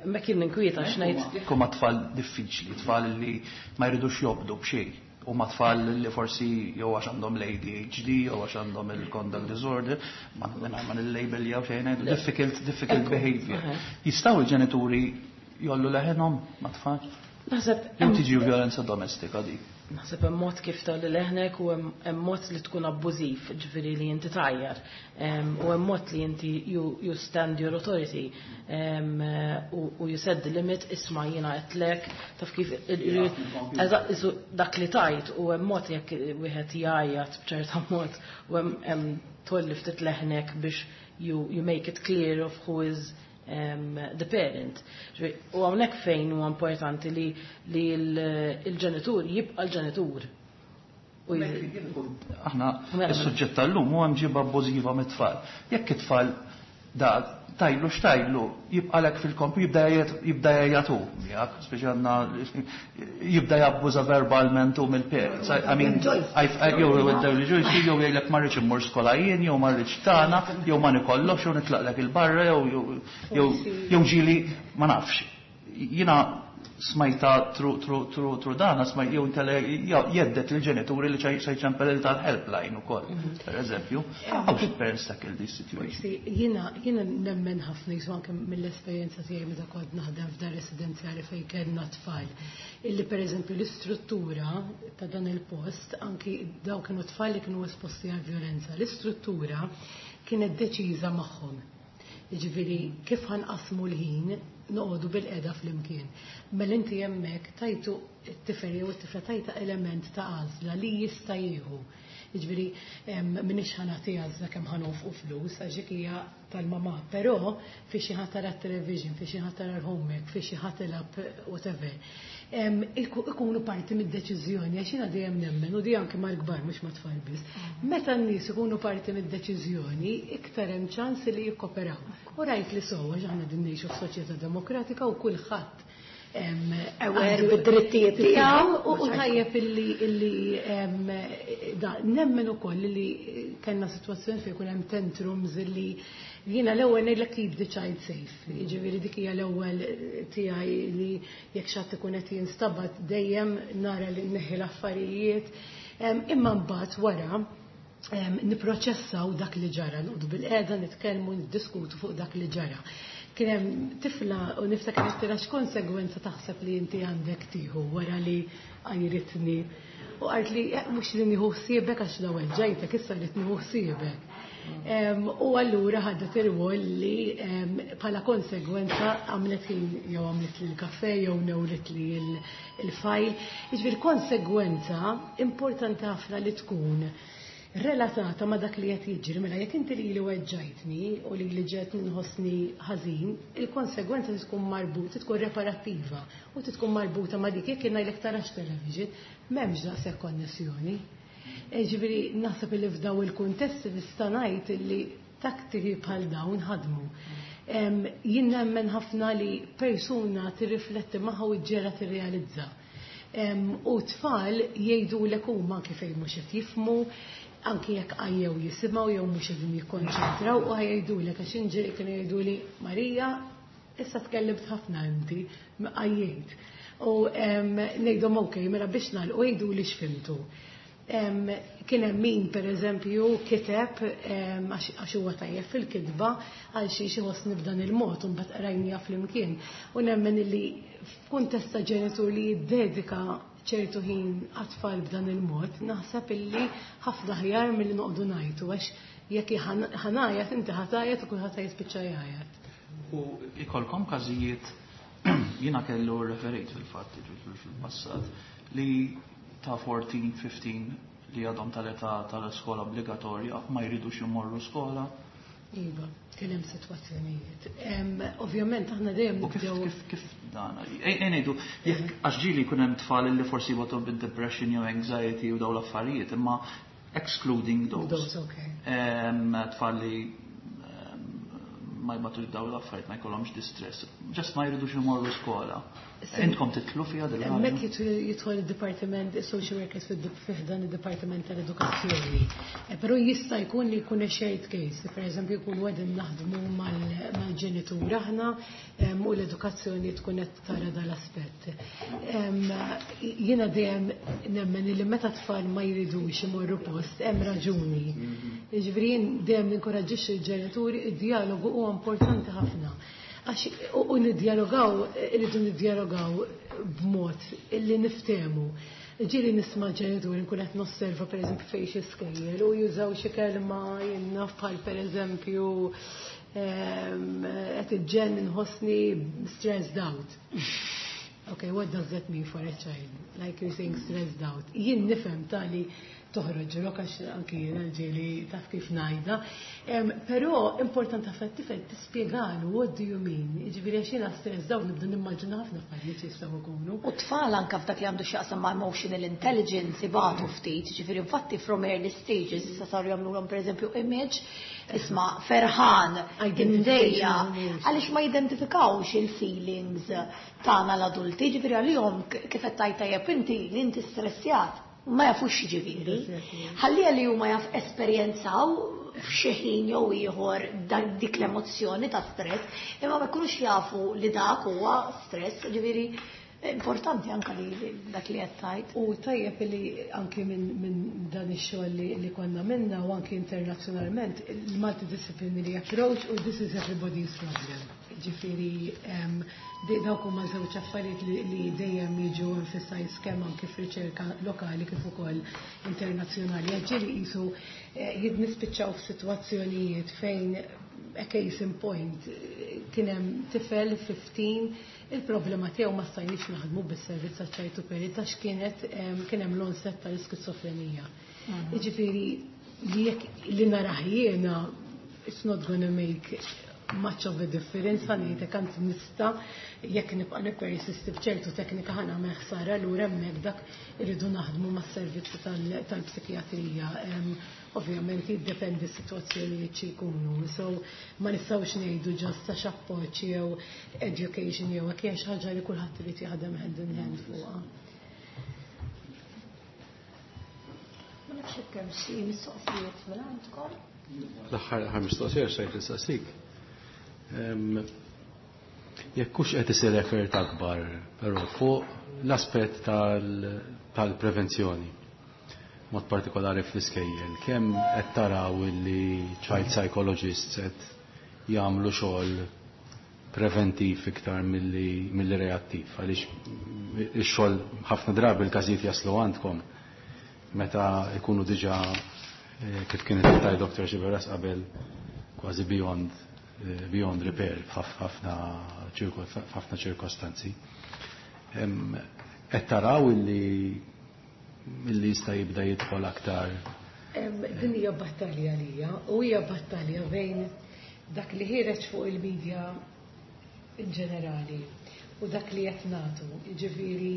Ma kien ninkwieta x'ngħid. Jekk huma tfal diffiċli, tfal li ma jridux jobdu b'xejn, huma tfal li forsi jew għax għandhom l-A D H D jew għax għandhom il-conduct disorder, ma ma nil-label jew xejn ngħidu difficult, difficult behavior. Jistgħu l-ġenituri jollu leħenhom ma' tfal? Naħseb Jew tiġi violenza domestika dik. Naħseb hemm mod kif tgħolli leħnek u hemm mod li tkun abbużiv, ġifieri li inti tgħajjar. U hemm mod li inti you, you stand your authority u you set the limit, isma' jiena qedlek, taf kif eżatt dak li tajt, u hemm mod jekk wieħed jgħajjat b'ċerta mod u hemm tgħolli ftit leħnek biex you, you make it clear of who is Um, the parent. U hawnhekk fejn huwa importanti li, li l-ġenitur jibqa' l-ġenitur. Aħna is-suġġett tal-lum huwa mġiba abbużiva mit-tfal. Jekk it-tfal da tajlu x'tajlu jibqalek fil-kompu jibda jibda jgħatu miegħek, speċi għandna jibda jabbuża verbalment u mill-parents. I mean, jew jew jew jgħidlek ma rridx immur skola jien, jew ma rridx tagħna, jew ma nikollokx, jew nitlaqlek il-barra, jew jew jew ġieli ma nafx. Jiena smajta tru tru tru tru dana smajt jew inkella jeddet il-ġenituri li se jċempel tal-helpline ukoll, per eżempju. How should parents tackle this situation? Jiena jiena nemmen ħafna jisu anke mill-esperjenza tiegħi meta kont naħdem f'dar residenzjali fejn kellna tfal. Illi per eżempju l-istruttura ta' dan il-post, anki daw kienu tfal li kienu esposti għal violenza, l-istruttura kienet deċiża magħhom. Jiġifieri kif ħanqasmu l-ħin noqogħdu bil-qeda flimkien. Mela inti hemmhekk tajtu t-tifel jew it-tifla tajta element ta' għażla li jista' jieħu. Jiġifieri m'iniex ħa nagħti għażla kemm ħa nonfqu flus għax dik hija tal-mamà, però fi xi ħadd tara t-television, fi xi ħadd tara l-homework, fi xi ħadd tilgħab whatever. Ikunu parti mid-deċiżjoni, għax jiena dejjem nemmen, u di anke mal-kbar mhux mat-tfal biss. Meta n-nies ikunu parti mid-deċiżjoni, iktar hemm ċans li jikkoperaw. U rajt li sewwa għax aħna din ngħixu f'soċjetà demokratika u kulħadd aware bid-drittijiet tiegħu u tajjeb illi illi da nemmen ukoll li kellna sitwazzjoni fejn ikun hemm tantrums illi jiena l-ewwel ngħidlek keep the child safe. Jiġifieri dik hija l-ewwel tiegħi li jekk xi ħadd ikun qed jinstabat dejjem nara li nneħħi l-affarijiet. Imma mbagħad wara Niproċessaw dak li ġara, noqogħdu bilqiegħda, nitkellmu, niddiskutu fuq dak li ġara. Kien hemm tifla u niftakar għedtilha, "X'konsegwenza taħseb li inti għandek tieħu wara li għajritni?" U qaltli, eh, "Mhux li nieħu ħsiebek, għax l-ewwel weġġajtek, issa rrid nieħu ħsiebek." U allura ħadet ir-rwol li bħala konsegwenza għamlet jew għamlet li l-kafe jew newlet li l-file. Jiġifieri konsegwenza importanti ħafna li tkun relatata ma' dak li qed jiġri. Mela jekk inti li li weġġajtni u li li ġiet nħossni ħażin, il-konsegwenza tkun marbuta, tkun reparattiva u tkun marbuta ma' dik. Jekk ngħidlek tarax television, m'hemmx daqshekk konnessjoni. Ġifieri naħseb li f'daw il-kuntesti nista' ngħid li tattiki bħal dawn ħadmu. Jien nemmen ħafna li persuna tirrifletti magħha u ġera tirrealizza. U tfal jgħidu l huma kif mhux qed jifhmu, anki jekk għajjew jisimgħu jew mhux qegħdin jikkonċentraw, u jgħidulek, għax inġeri kienu jgħiduli, "Marija, issa tkellimt ħafna inti, għajjejt." U ngħidhom, "Ok, mela biex nagħlqu jgħidu li x'fhimtu." Kien hemm min, pereżempju, kiteb, għax huwa tajjeb fil-kitba, għal xi xi ħossni b'dan il-mod, u mbagħad qrajnija flimkien. U nemmen li f'kuntest ta' ġenitur li jiddedika ċertu ħin għat-tfal b'dan il-mod, naħseb illi ħafna ħjar milli noqogħdu ngħajtu, għax jekk ħa ngħajjat, inti ħa tgħajjat u kulħadd jispiċċa jgħajjat. U ikolkom każijiet, jiena kellu referejt fil-fatt fil-passat, li ta' erbatax, ħmistax li għadhom tal-età tal-iskola obbligatorja ma jridux imorru skola? Iva, kien hemm sitwazzjonijiet. Ovvjament aħna dejjem U kif kif kif dan? Ngħidu, jekk għax ġieli jkun hemm tfal li forsi jbatu bid-depression jew anxiety u dawn l-affarijiet, imma excluding those. Those, okay. Tfal li ma jbatux daw l-affarijiet, ma jkollhomx distress, just ma jridux imorru skola. Intkom tidħlu fiha dil Hemmhekk jidħol il-dipartiment, social workers fi dan id-dipartiment tal-edukazzjoni. Eh, però jista' jkun li jkun a shared case, per eżempju jkun qegħdin naħdmu mal-ġenitur aħna u l-edukazzjoni tkun qed tara dal-aspett. Jiena dejjem nemmen li meta tfal ma jridux imorru post, hemm raġuni. Mhm. Jiġifieri jien dejjem ninkoraġġixxi l-ġenituri, id-dialogu huwa importanti ħafna. Għax u niddialogaw, irridu niddialogaw b'mod illi niftehmu. Ġieli nisma' ġenituri, nkun qed nosserva pereżempju fejn xi skejjel u jużaw xi kelma, jiena bħal pereżempju qed iġġen nħossni stressed out. Okay, what does that mean for a child? Like you're saying stressed out. Jien nifhem tali toħroġ rok, għax anki jiena ġieli taf kif ngħidha. Però importanti ħafna tifel tispjegalu what do you mean. Jiġifieri għax jiena stressed out nibda nimmaġina ħafna affarijiet jistgħu jkunu. U tfal anka f'dak li għandu x'jaqsam ma' emotional intelligence ibatu ftit, ġifieri infatti from early stages issa saru jagħmluhom pereżempju image, isma' ferħan, imdejjaq, għaliex ma jidentifikawx il-feelings tagħna l-adulti, ġifieri għalihom kif qed tgħid tajjeb inti li inti stressjat, ma jafux ġifieri. Ħallija li huma jaf esperjenzaw f'xi ħin jew ieħor dik l-emozzjoni ta' stress, imma ma jkunux jafu li dak huwa stress, ġifieri importanti anka li dak li qed tgħid. U tajjeb li anki minn min dan ix-xogħol li, li konna minna u anki internazzjonalment, il-multidisciplinary approach u this is everybody's problem. Ġifieri dawk huma żewġ affarijiet li, li dejjem jiġu emphasized kemm anki f'riċerka lokali kif ukoll internazzjonali. Ġieli qisu eh, jidnispiċċaw f'sitwazzjonijiet fejn, a case in point, kien hemm tifel ħmistax, il-problema tiegħu ma stajniex naħdmu bis-servizz ta' child to parent għax kienet kien hemm l-onset tal-iskizofrenija. Mhm. Jiġifieri li jekk li narah jiena, it's not gonna make much of a difference, ħa ngħidlek, għand nista jekk nibqa' nippersisti b'ċertu teknika ħa nagħmel ħsara, lura hemmhekk dak irridu naħdmu mas-servizzi tal-psikjatrija. Ovvjament jiddependi s-sitwazzjonijiet xi jkunu. So ma nistgħux ngħidu just għax appoġġ jew education jew hekk, hija xi ħaġa li kulħadd irid jaħdem hand in hand fuqha. Ma nafx hekk hemm xi mistoqsijiet minn għandkom. L-aħħar mistoqsija xejn nistaqsik. Jekk hux qed isir effort akbar però fuq l-aspett tal-prevenzjoni. mod partikolari fl-iskejjel, kemm qed taraw illi child psychologists qed jagħmlu xogħol preventiv iktar milli milli reattiv, għaliex ix-xogħol ħafna drabi l-każijiet jaslu għandkom meta jkunu diġà kif kienet tajt Doctor Xiberras qabel kważi beyond beyond repair f'ħafna ħafna ċirkostanzi. Qed taraw illi illi jista' jibda jidħol aktar. Din hija battalja lija u hija battalja bejn dak li ħireġ fuq il-medja in ġenerali u dak li qed nagħtu. Jiġifieri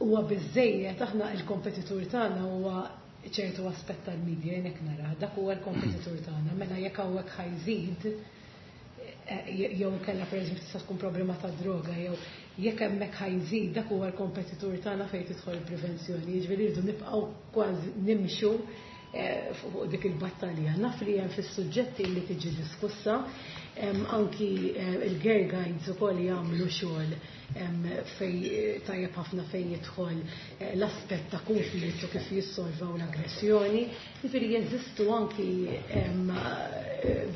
huwa biżejjed aħna il-kompetitur tagħna huwa ċertu aspett tal-medja jien hekk nara, dak huwa l-kompetitur tagħna. Mela jekk hawnhekk ħajżid jew kellha pereżempju tista' tkun problema ta' droga jew jekk hemmhekk ħajżid dak huwa l-kompetitur tagħna fejn tidħol il-prevenzjoni. Jiġifieri rridu nibqgħu kważi nimxu fuq dik il-battalja. Naf li hemm fis-suġġetti li tiġi diskussa, anki il-girl guides ukoll jagħmlu xogħol fej tajjeb ħafna fejn jidħol l-aspett ta' konflitt u kif jissolvaw l-aggressjoni. Jiġifieri jeżistu anki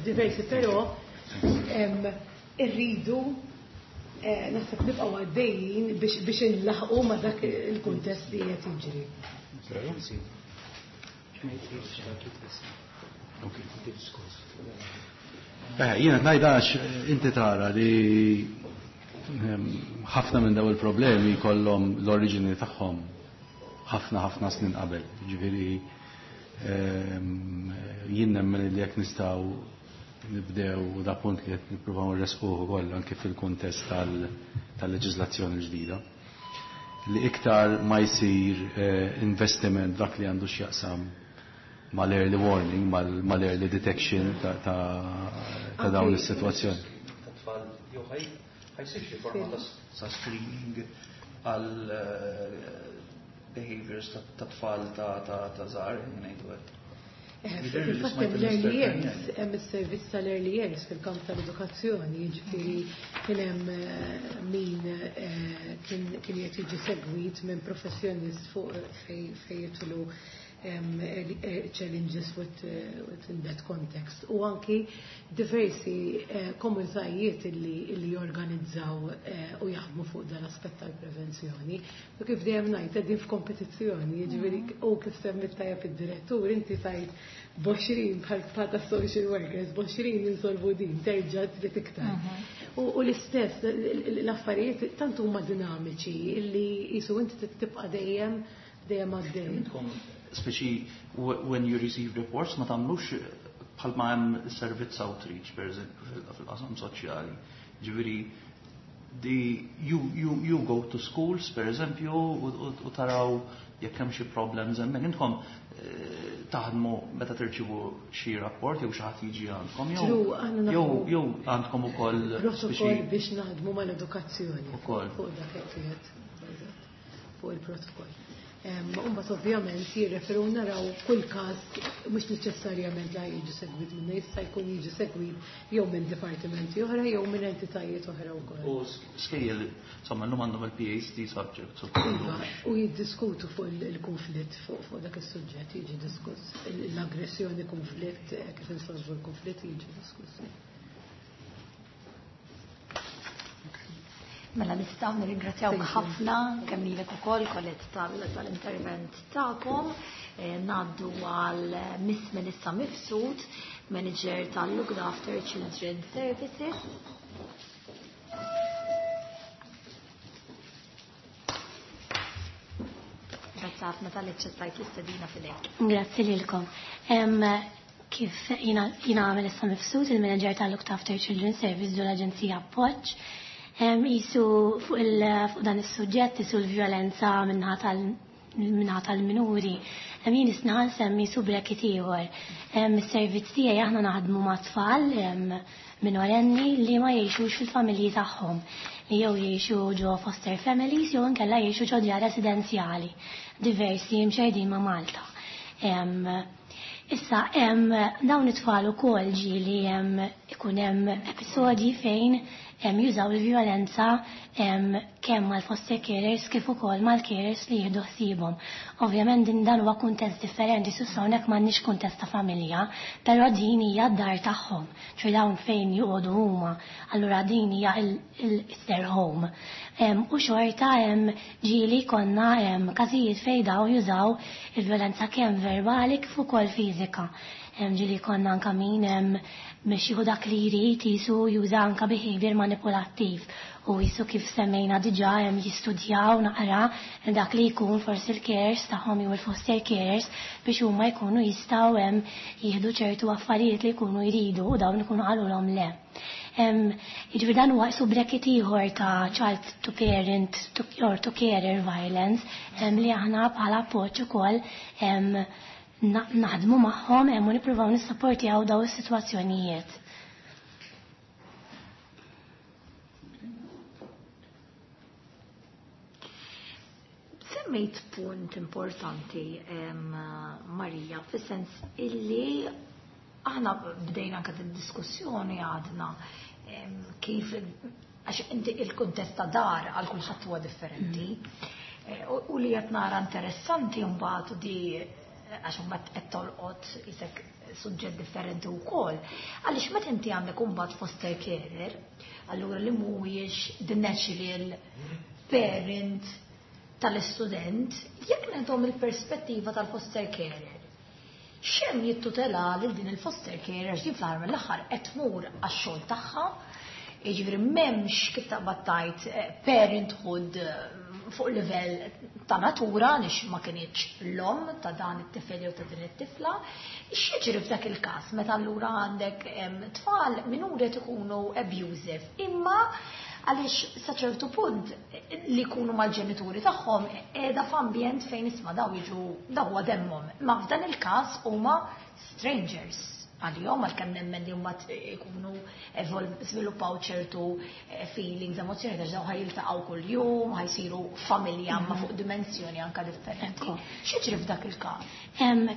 diversi, però irridu naħseb nibqgħu għaddejjin biex inlaħqu ma' dak il-kuntest li qed jiġri. Jiena ngħid għax inti tara li ħafna minn daw il-problemi jkollhom l-oriġini tagħhom ħafna ħafna snin qabel. Ġifieri jien nemmen li jekk nistgħu nibdew da punt li qed nippruvaw nresquh ukoll anke fil-kuntest tal-leġiżlazzjoni l-ġdida, li iktar ma jsir investiment dak li għandu x'jaqsam mal-early warning, mal-early detection ta' dawn is-sitwazzjoni. Tfal jew ħajsir xi forma ta' screening għal behaviors ta' tfal ta' żgħar ngħidu hekk. Fil-fatt hemm l-early years, hemm is-servizz tal-early years fil-kamp tal-edukazzjoni, jiġifieri kien hemm min kien qed jiġi segwit minn professjonist fuq fejn jidħlu challenges with, within that context. U anki diversi komunitajiet li jorganizzaw u jaħdmu fuq dan l-aspett tal-prevenzjoni. U kif dejjem ngħid qegħdin f'kompetizzjoni, jiġifieri u kif semmit tajjeb id-direttur, inti tajt b'għoxrin bħal ta' social workers, b'għoxrin insolvu din, terġa' trid iktar. U l-istess l-affarijiet tant huma dinamiċi illi jisu inti tibqa' dejjem dejjem għaddej. Speċi when you receive reports ma tagħmlux bħalma hemm servizz outreach per eżempju fil-qasam soċjali. Ġifieri the you you you go to schools per eżempju u taraw jekk hemm xi problems hemmhekk. Intkom taħdmu meta tirċievu xi rapport jew xi ħadd jiġi għandkom jew jew jew għandkom ukoll protokoll biex naħdmu mal-edukazzjoni fuq dak qed fuq il-protokoll. Imbagħad ovvjament jirreferu naraw kull każ mhux neċessarjament la jiġi segwit minna, jista' jkun jiġi segwit jew minn dipartimenti oħra jew minn entitajiet oħra wkoll. U skejjel insomma llum għandhom il-PhD subject u jiddiskutu fuq il-konflitt fuq dak is-suġġett jiġi diskuss l-aggressjoni, konflitt, kif insolvu l-konflitt jiġi diskuss. Mela nistgħu nirringrazzjawk ħafna kemm lilek ukoll Colette tal-intervent tagħkom. Ngħaddu għal Miss Melissa Mifsud, Manager tal-Look After Children Services. Grazzi ħafna tal-li ċċettajt l-istedina fidejk. Grazzi lilkom. Kif jiena Melissa Mifsud, il-Manager tal-Look After Children Service ġol l-Aġenzija Appoġġ. Jisu fuq dan is-suġġett jisu l-vjolenza minnaħa tal-minuri. Jien isna nsemmi su bracket ieħor. Is-servizz tiegħi aħna naħdmu ma' tfal minorenni li ma jgħixux fil-familji tagħhom, li jew jgħixu ġo foster families jew inkella jgħixu ġo djar residenzjali diversi mxerdin ma' Malta. Issa dawn it-tfal ukoll ġieli ikun hemm episodji fejn jużaw il-vjolenza kemm mal-foster carers kif ukoll mal-carers li jieħdu ħsiebhom. Ovvjament din dan huwa kuntest differenti, s'issa hawnhekk m'għandniex kuntest ta' familja, però din hija d-dar tagħhom, ċoj dawn fejn joqogħdu huma, allura din hija it's their home. U xorta ġieli konna każijiet fejn dawn jużaw il-vjolenza kemm verbali kif ukoll fiżika. Ġieli konna anka min biex jieħu dak li jrid jisu juża anka behavior manipulattiv u jisu kif semmejna diġà hemm jistudjaw naqra dak li jkun forsi l-carers tagħhom jew il-foster carers biex huma jkunu jistgħu hemm jieħdu ċertu affarijiet li jkunu jridu u dawn ikunu qalulhom le. Jiġifieri dan huwa qisu bracket ieħor ta' child to parent to, or to carer violence li aħna bħala appoġġ ukoll naħdmu magħhom hemm u nippruvaw nissapportjaw daw is-sitwazzjonijiet. Semmejt punt importanti, Marija, fis-sens illi aħna bdejna anke diskussjoni għadna kif għax inti il-kuntest ta' dar għal kulħadd huwa differenti. U li qed nara interessanti mbagħad di għax mbagħad qed tolqot isek suġġett differenti wkoll. Għaliex meta inti għandek imbagħad foster carer, allura li mhuwiex the natural parent tal-istudent, jekk nagħtuhom il-perspettiva tal-foster carer, x'hemm jittutela lil din il-foster carer għax din fl-aħħar mill-aħħar qed tmur għax-xogħol tagħha, jiġifieri m'hemmx kif taqbad tgħid parenthood fuq livell ta' natura nix ma kienx l-om ta' dan it-tifel jew ta' din it-tifla. X'jiġri f'dak il-każ meta allura għandek tfal minuri qed ikunu abusive, imma għaliex sa ċertu punt li jkunu mal-ġenituri tagħhom qiegħda f'ambjent fejn isma' daw jiġu daw huwa demmhom. Ma f'dan il-każ huma strangers għalihom, għalkemm nemmen li huma jkunu żviluppaw ċertu feelings, emozzjoni, għax daw ħajiltaqgħu kuljum, ħajsiru familja ma fuq dimensjoni anka differenti. X'jiġri f'dak il-każ?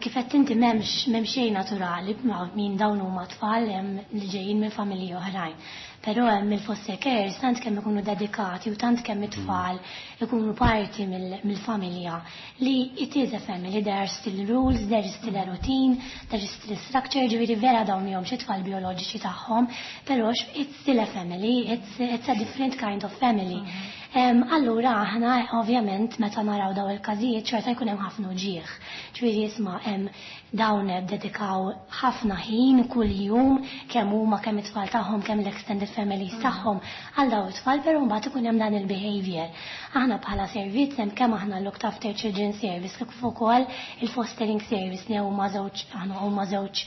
Kif qed inti m'hemmx m'hemm xejn naturali min dawn huma tfal li ġejjin minn familji oħrajn. Però hemm il-foster carers tant kemm ikunu dedikati u tant kemm it-tfal ikunu parti mill-familja li it is a family, there are still rules, there is still a routine, there is still a structure, ġifieri vera dawn mihomx it-tfal bioloġiċi tagħhom, però it's still a family, it's, it's a different kind of family. Um, allura aħna ovvjament meta naraw daw il-każijiet xorta jkun hemm ħafna uġieħ. Ġifieri isma' hemm dawn dedikaw ħafna ħin kuljum kemm huma kemm it-tfal tagħhom kemm l-extended families tagħhom għal daw it-tfal, però mbagħad ikun hemm dan il-behavior. Aħna bħala servizz hemm kemm aħna looked after children service kif ukoll il-fostering service li huma żewġ aħna huma żewġ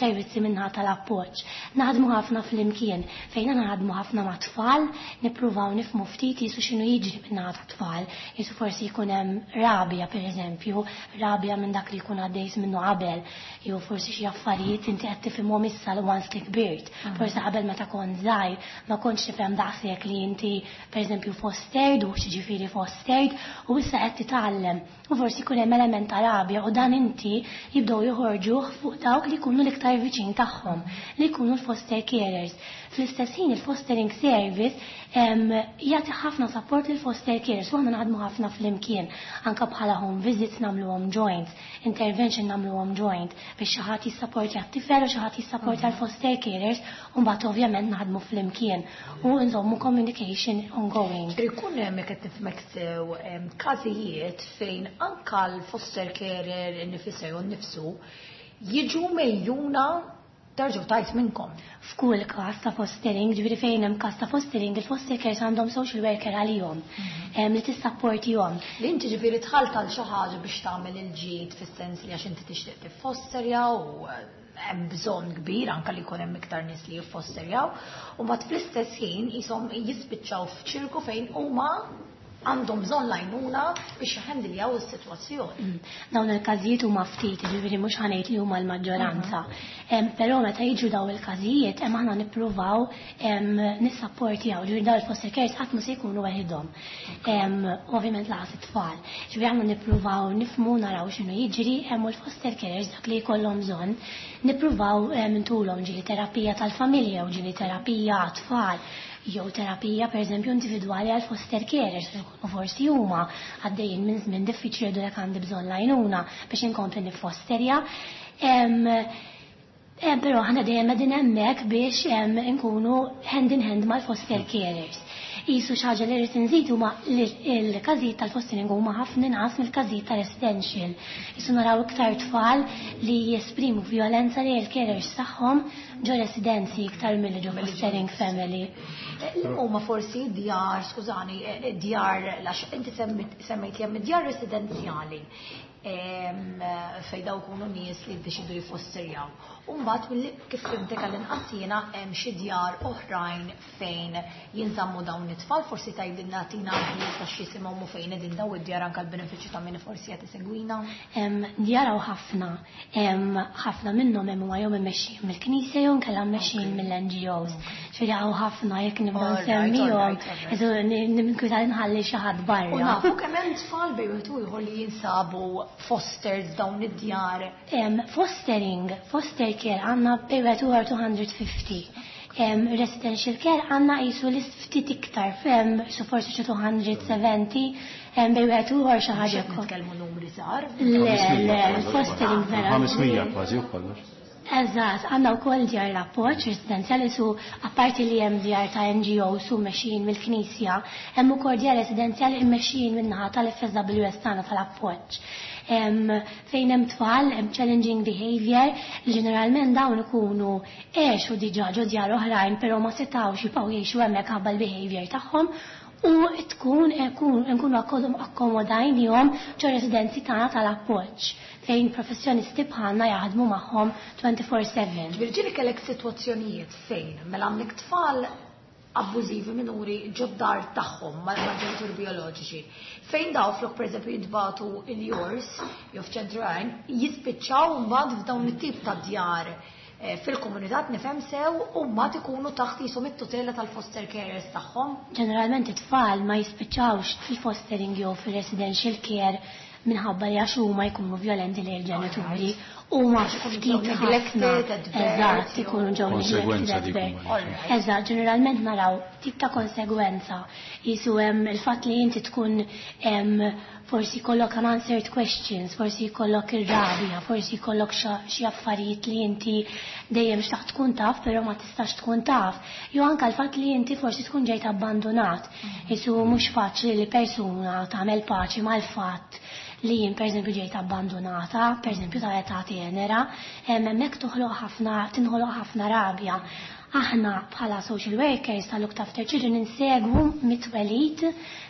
servizzi minnha tal-appoġġ. Naħdmu ħafna flimkien fejn naħdmu ħafna ma' tfal, nippruvaw nifhmu ftit jisu x'inhu jiġri minnha tat-tfal, jisu forsi jkun hemm rabja pereżempju, rabja minn dak li jkun għaddejs minnu qabel, jew forsi xi affarijiet inti qed tifhimhom issa once li kbirt. Forsi qabel meta kont żgħir ma kontx tifhem daqshekk li inti pereżempju fostered u x'jiġifieri fostered u issa qed titgħallem. U forsi jkun hemm element ta' rabja u dan inti jibdew joħorġuh fuq dawk li jkunu l-iktar viċin tagħhom, li jkunu l-foster carers. Fl-istess ħin il-fostering service jagħti ħafna support lil foster carers u aħna naħdmu ħafna flimkien, anke bħala home visits nagħmluhom joints, intervention nagħmluhom joint biex xi ħadd jissapportja t-tifel u xi ħadd jissapportja l-foster carers u mbagħad ovvjament naħdmu flimkien u nżommu communication ongoing. Ikun hemm jekk qed nifhmek sew każijiet fejn anke l-foster carer innifisha jew nnifsu jiġu mejjuna tarġu tajt minnkom. F'kull każ ta' fostering, ġifieri fejn hemm każ ta' fostering, il-foster carers għandhom social worker għalihom li tissapportihom. Li inti ġifieri tħalt għal xi ħaġa biex tagħmel il-ġid fis-sens li għax inti tixtieq tiffosterja u hemm bżonn kbir anke li jkun hemm iktar nies li jiffosterjaw, u mbagħad fl-istess ħin qishom jispiċċaw f'ċirku fejn huma għandhom bżonn lajnuna biex jħendiljaw is-sitwazzjoni. Dawn il-każijiet huma ftit, ġifieri mhux ħanejt li huma l-maġġoranza. Però meta jiġu dawn il-każijiet hemm aħna nippruvaw nissapportjaw, ġifieri dawn il-foster carers qatt mhu se jkunu waħedhom. Ovvjament laqas it-tfal. Ġifieri aħna nippruvaw nifhmu naraw x'inhu jiġri hemm u l-foster carers dak li jkollhom bżonn nippruvaw ntulhom ġieli terapija tal-familja u ġieli terapija għat-tfal. Jew terapija pereżempju individwali għal foster carers, u forsi huma għaddejjin minn żmien diffiċli jgħidulek għandi bżonn l-għajnuna biex inkompli niffosterja. Però aħna dejjem qegħdin hemmhekk biex nkunu hand in hand mal-foster carers. Jisu xi ħaġa li rrid inżid huma il-każijiet tal-fostering huma ħafna inqas mill-każijiet tal-residential. Jisu naraw iktar tfal li jesprimu violenza li l-carers tagħhom ġo residenzi iktar milli ġo fostering family. Huma forsi djar, skużani, djar, għax inti semmejt li hemm djar residenzjali fej daw kunu nies li ddeċidu jiffosterjaw. U mbagħad kif fhimtek għall-inqas jiena hemm xi djar oħrajn fejn jinżammu dawn it-tfal, forsi tgħidilna tina ħjiel ta' x'jisimhom u fejn qegħdin daw id-djar anke l-benefiċċju ta' min forsi qed isegwina. Djar hawn ħafna, ħafna minnhom hemm huma jew immexxijin mill-Knisja jew inkella mmexxijin mill-N G Os. Ġifieri hawn ħafna, jekk nibda nsemmihom, ninkwita nħalli xi ħadd barra. U nafu kemm hemm tfal bejn wieħed u ieħor li jinsabu fostered dawn id-djar? Fostering, foster care għandna bejn wieħed u ieħor two hundred fifty. Residential care għandna jisu li ftit iktar, su forsi xi two hundred seventy, bejn wieħed u ieħor xi ħaġa. Nitkellmu numri żgħar. Le, le, fostering vera. ħames mija kważi u kollox. Eżatt, għandna wkoll djar l-appoġġ residenzjali, su apparti li hemm djar ta' N G O su mmexxijin mill-Knisja, hemm ukoll djar residenzjali mmexxijin min-naħa tal-F S W S tagħna tal-appoġġ. Fejn hemm tfal, hemm challenging behavior, li ġeneralment dawn ikunu għexu diġà ġo djar oħrajn, però ma setgħux jibqgħu jgħixu hemmhekk ħabba l-behavior tagħhom u tkun nkunu akkomodajnihom ġo residenzi tagħna tal-appoġġ fejn professjonisti bħalna jaħdmu magħhom twenty-four seven. Ġieli kellek sitwazzjonijiet fejn mela għandek tfal abbużivi minuri ġod-dar tagħhom mal-ġenituri bioloġiċi? Fejn daw flok pereżempju jintbagħtu il-YOURS jew f'ċentru għajn, jispiċċaw mbagħad f'dawn it-tip ta' djar eh, fil-komunità, nifhem sew, u mbagħad ikunu taħt jisom it-tutela tal-foster carers tagħhom? Ġeneralment it-tfal ma jispiċċawx fil-fostering jew fil-residential care minħabba li għax huma jkunu violenti lejn il-ġenituri, huma ftit ħafna. Eżatt, ikunu ġew Konsegwenza neglected dik at birth. huma. Eżatt, ġeneralment naraw tip ta' konsegwenza. Jisu hemm il-fatt li inti tkun em, forsi jkollok unanswered questions, forsi jkollok ir-rabja, forsi jkollok xi affarijiet li inti dejjem xtaqt tkun taf, però ma tistax tkun taf. Jew anke l-fatt li inti forsi tkun ġejt abbandonat. Jisu mhux faċli li persuna tagħmel paċi mal-fatt li jien pereżempju ġejt abbandonata, pereżempju ta' età tenera, hemmhekk toħloq ħafna, tinħoloq ħafna rabja. Aħna bħala social workers tal-Looked After Children insegwu mit-twelid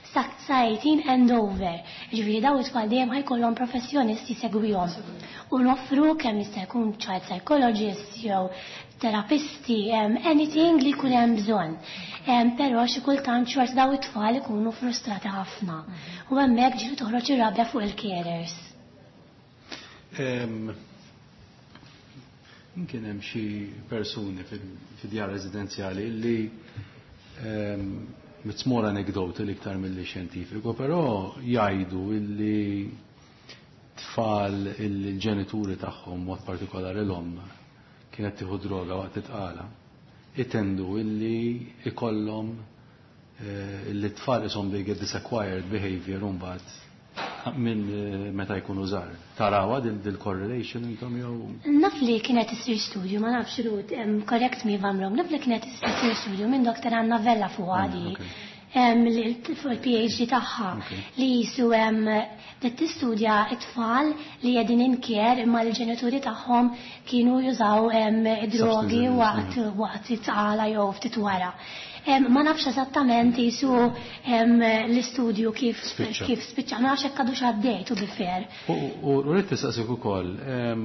sa eighteen and over. Ġifieri daw it-tfal dejjem ħa jkollhom professjonisti segwihom. U noffru kemm jista' jkun child psychologists jew terapisti, um, anything li jkun hemm bżonn. Um, però xi kultant xorta daw it-tfal ikunu frustrati ħafna. U hemmhekk ġieli toħroġ ir-rabja fuq il-carers. Em, Kien hemm xi persuni fil-djar residenzjali li em, it's more anecdotal iktar milli xjentifiku, però jgħidu illi tfal il-ġenituri tagħhom, mod partikolari l-omm, kienet tieħu droga waqt it-tqala, itendu illi ikollhom eh, illi tfal ishom they get this acquired behavior mbagħad minn eh, meta jkunu żgħar. Tarawha dil dil correlation intom jew? Naf li kienet isir studju, ma nafx Ruth, um, correct me if I'm wrong, naf li kienet isir studju minn Doctor Anna Vella fuq għadi. okay. Um, li- fuq il-P H D tagħha Okay. li jisu um, li tistudja it-tfal li qegħdin in care imma l-ġenituri tagħhom kienu jużaw um, drogi Substances, waqt waqt it-tqala jew ftit wara. Um, ma nafx eżattament jisu um, l-istudju kif Spiċċa. kif spiċċa, ma nafx hekk għadux għaddej, to be fair. U u rrid nistaqsik ukoll, em,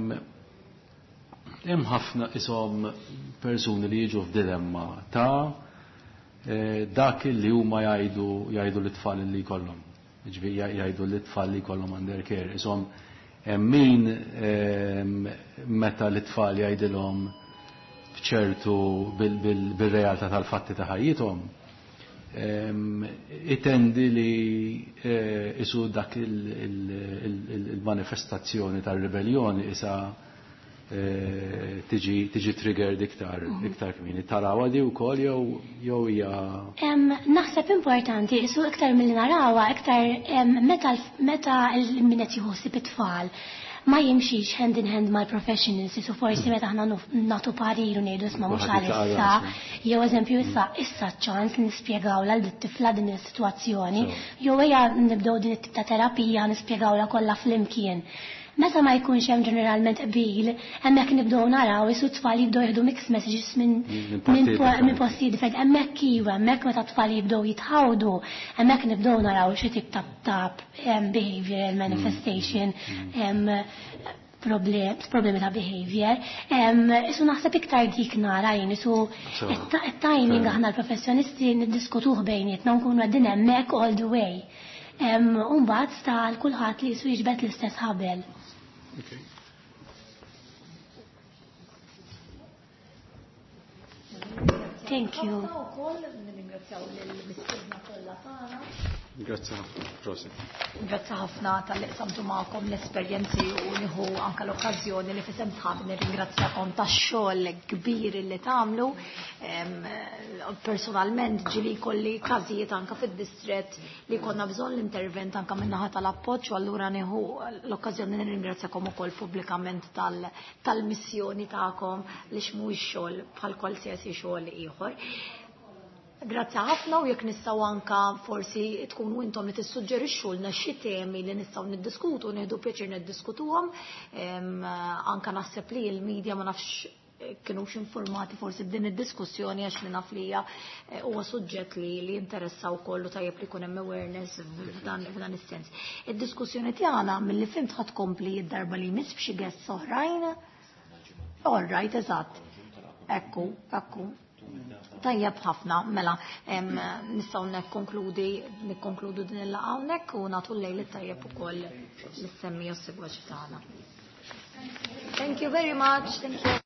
hemm ħafna ishom persuni li jiġu f'dilemma ta' eh, dak li huma jgħidu jgħidu l-tfal li jkollhom. Ġifieri jgħidu l-tfal li jkollhom under care. Ishom hemm min em, meta l-tfal jgħidilhom f'ċertu bil-realtà tal-fatti ta' ħajjithom, em, itendi li eh, isu dak il-manifestazzjoni tal-ribellioni isa tiġi tiġi triggered iktar iktar kmieni. Tarawha di wkoll jew jew hija Naħseb importanti, su iktar milli narawha, iktar meta meta min qed jieħu ħsieb it-tfal ma jimxix hand in hand mal-professionals, su forsi meta aħna nagħtu parir u ngħidu isma' mhux għalissa, jew eżempju issa issa ċans li nispjegawlha lil tifla din is-sitwazzjoni, jew ejja nibdew din it-tip ta' terapija nispjegawlha kollha flimkien. Meta ma jkunx hemm ġeneralment qbil, hemmhekk nibdew naraw isu t-tfal jibdew jieħdu mixed messages minn minn postijiet differenti. Hemmhekk iva, hemmhekk meta t-tfal jibdew jitħawdu, hemmhekk nibdew naraw xi tip ta' behavioral manifestation, problemi ta' behavior. Isu naħseb iktar dik nara jien, isu it-timing aħna l-professjonisti niddiskutuh bejnietna nkunu qegħdin hemmhekk all the way. U mbagħad sta għal kulħadd li jisu jiġbed l-istess ħabel. Okay. Thank you. Grazzi ħafna, prosit. Grazzi ħafna talli qsamtu magħkom l-esperjenzi u nieħu anke l-okkażjoni li f'isem sħabi nirringrazzjakom tax-xogħol kbir li tagħmlu. Personalment ġieli kolli każijiet anke fid-distrett li konna bżonn l-intervent anke min-naħa tal-appoġġ u allura nieħu l-okkażjoni nirringrazzjakom ukoll pubblikament tal-missjoni tagħkom li mhuwiex xogħol bħal qualsiasi xogħol ieħor. Grazzi ħafna u jekk nistgħu anka forsi tkunu intom li tissuġġerixxulna xi temi li nistgħu niddiskutu, nieħdu pjaċir niddiskutuhom. Anka naħseb li l-medja ma nafx kienux informati forsi b'din id-diskussjoni għax li naf li hija huwa suġġett li li jinteressa wkoll u tajjeb li jkun hemm awareness f'dan f'dan is-sens. Id-diskussjoni tagħna milli fhimt ħadd tkompli d-darba li jmiss b'xi guests oħrajn. All right, eżatt. Ekku, ekku. Tajjeb ħafna, mela, nistgħu nikkonkludi nikkonkludu din il-laqgħa hawnhekk u nagħtu l-lejl it-tajjeb ukoll lis-semmiegħa u s-segwaċi tagħna. Thank you very much. Thank you.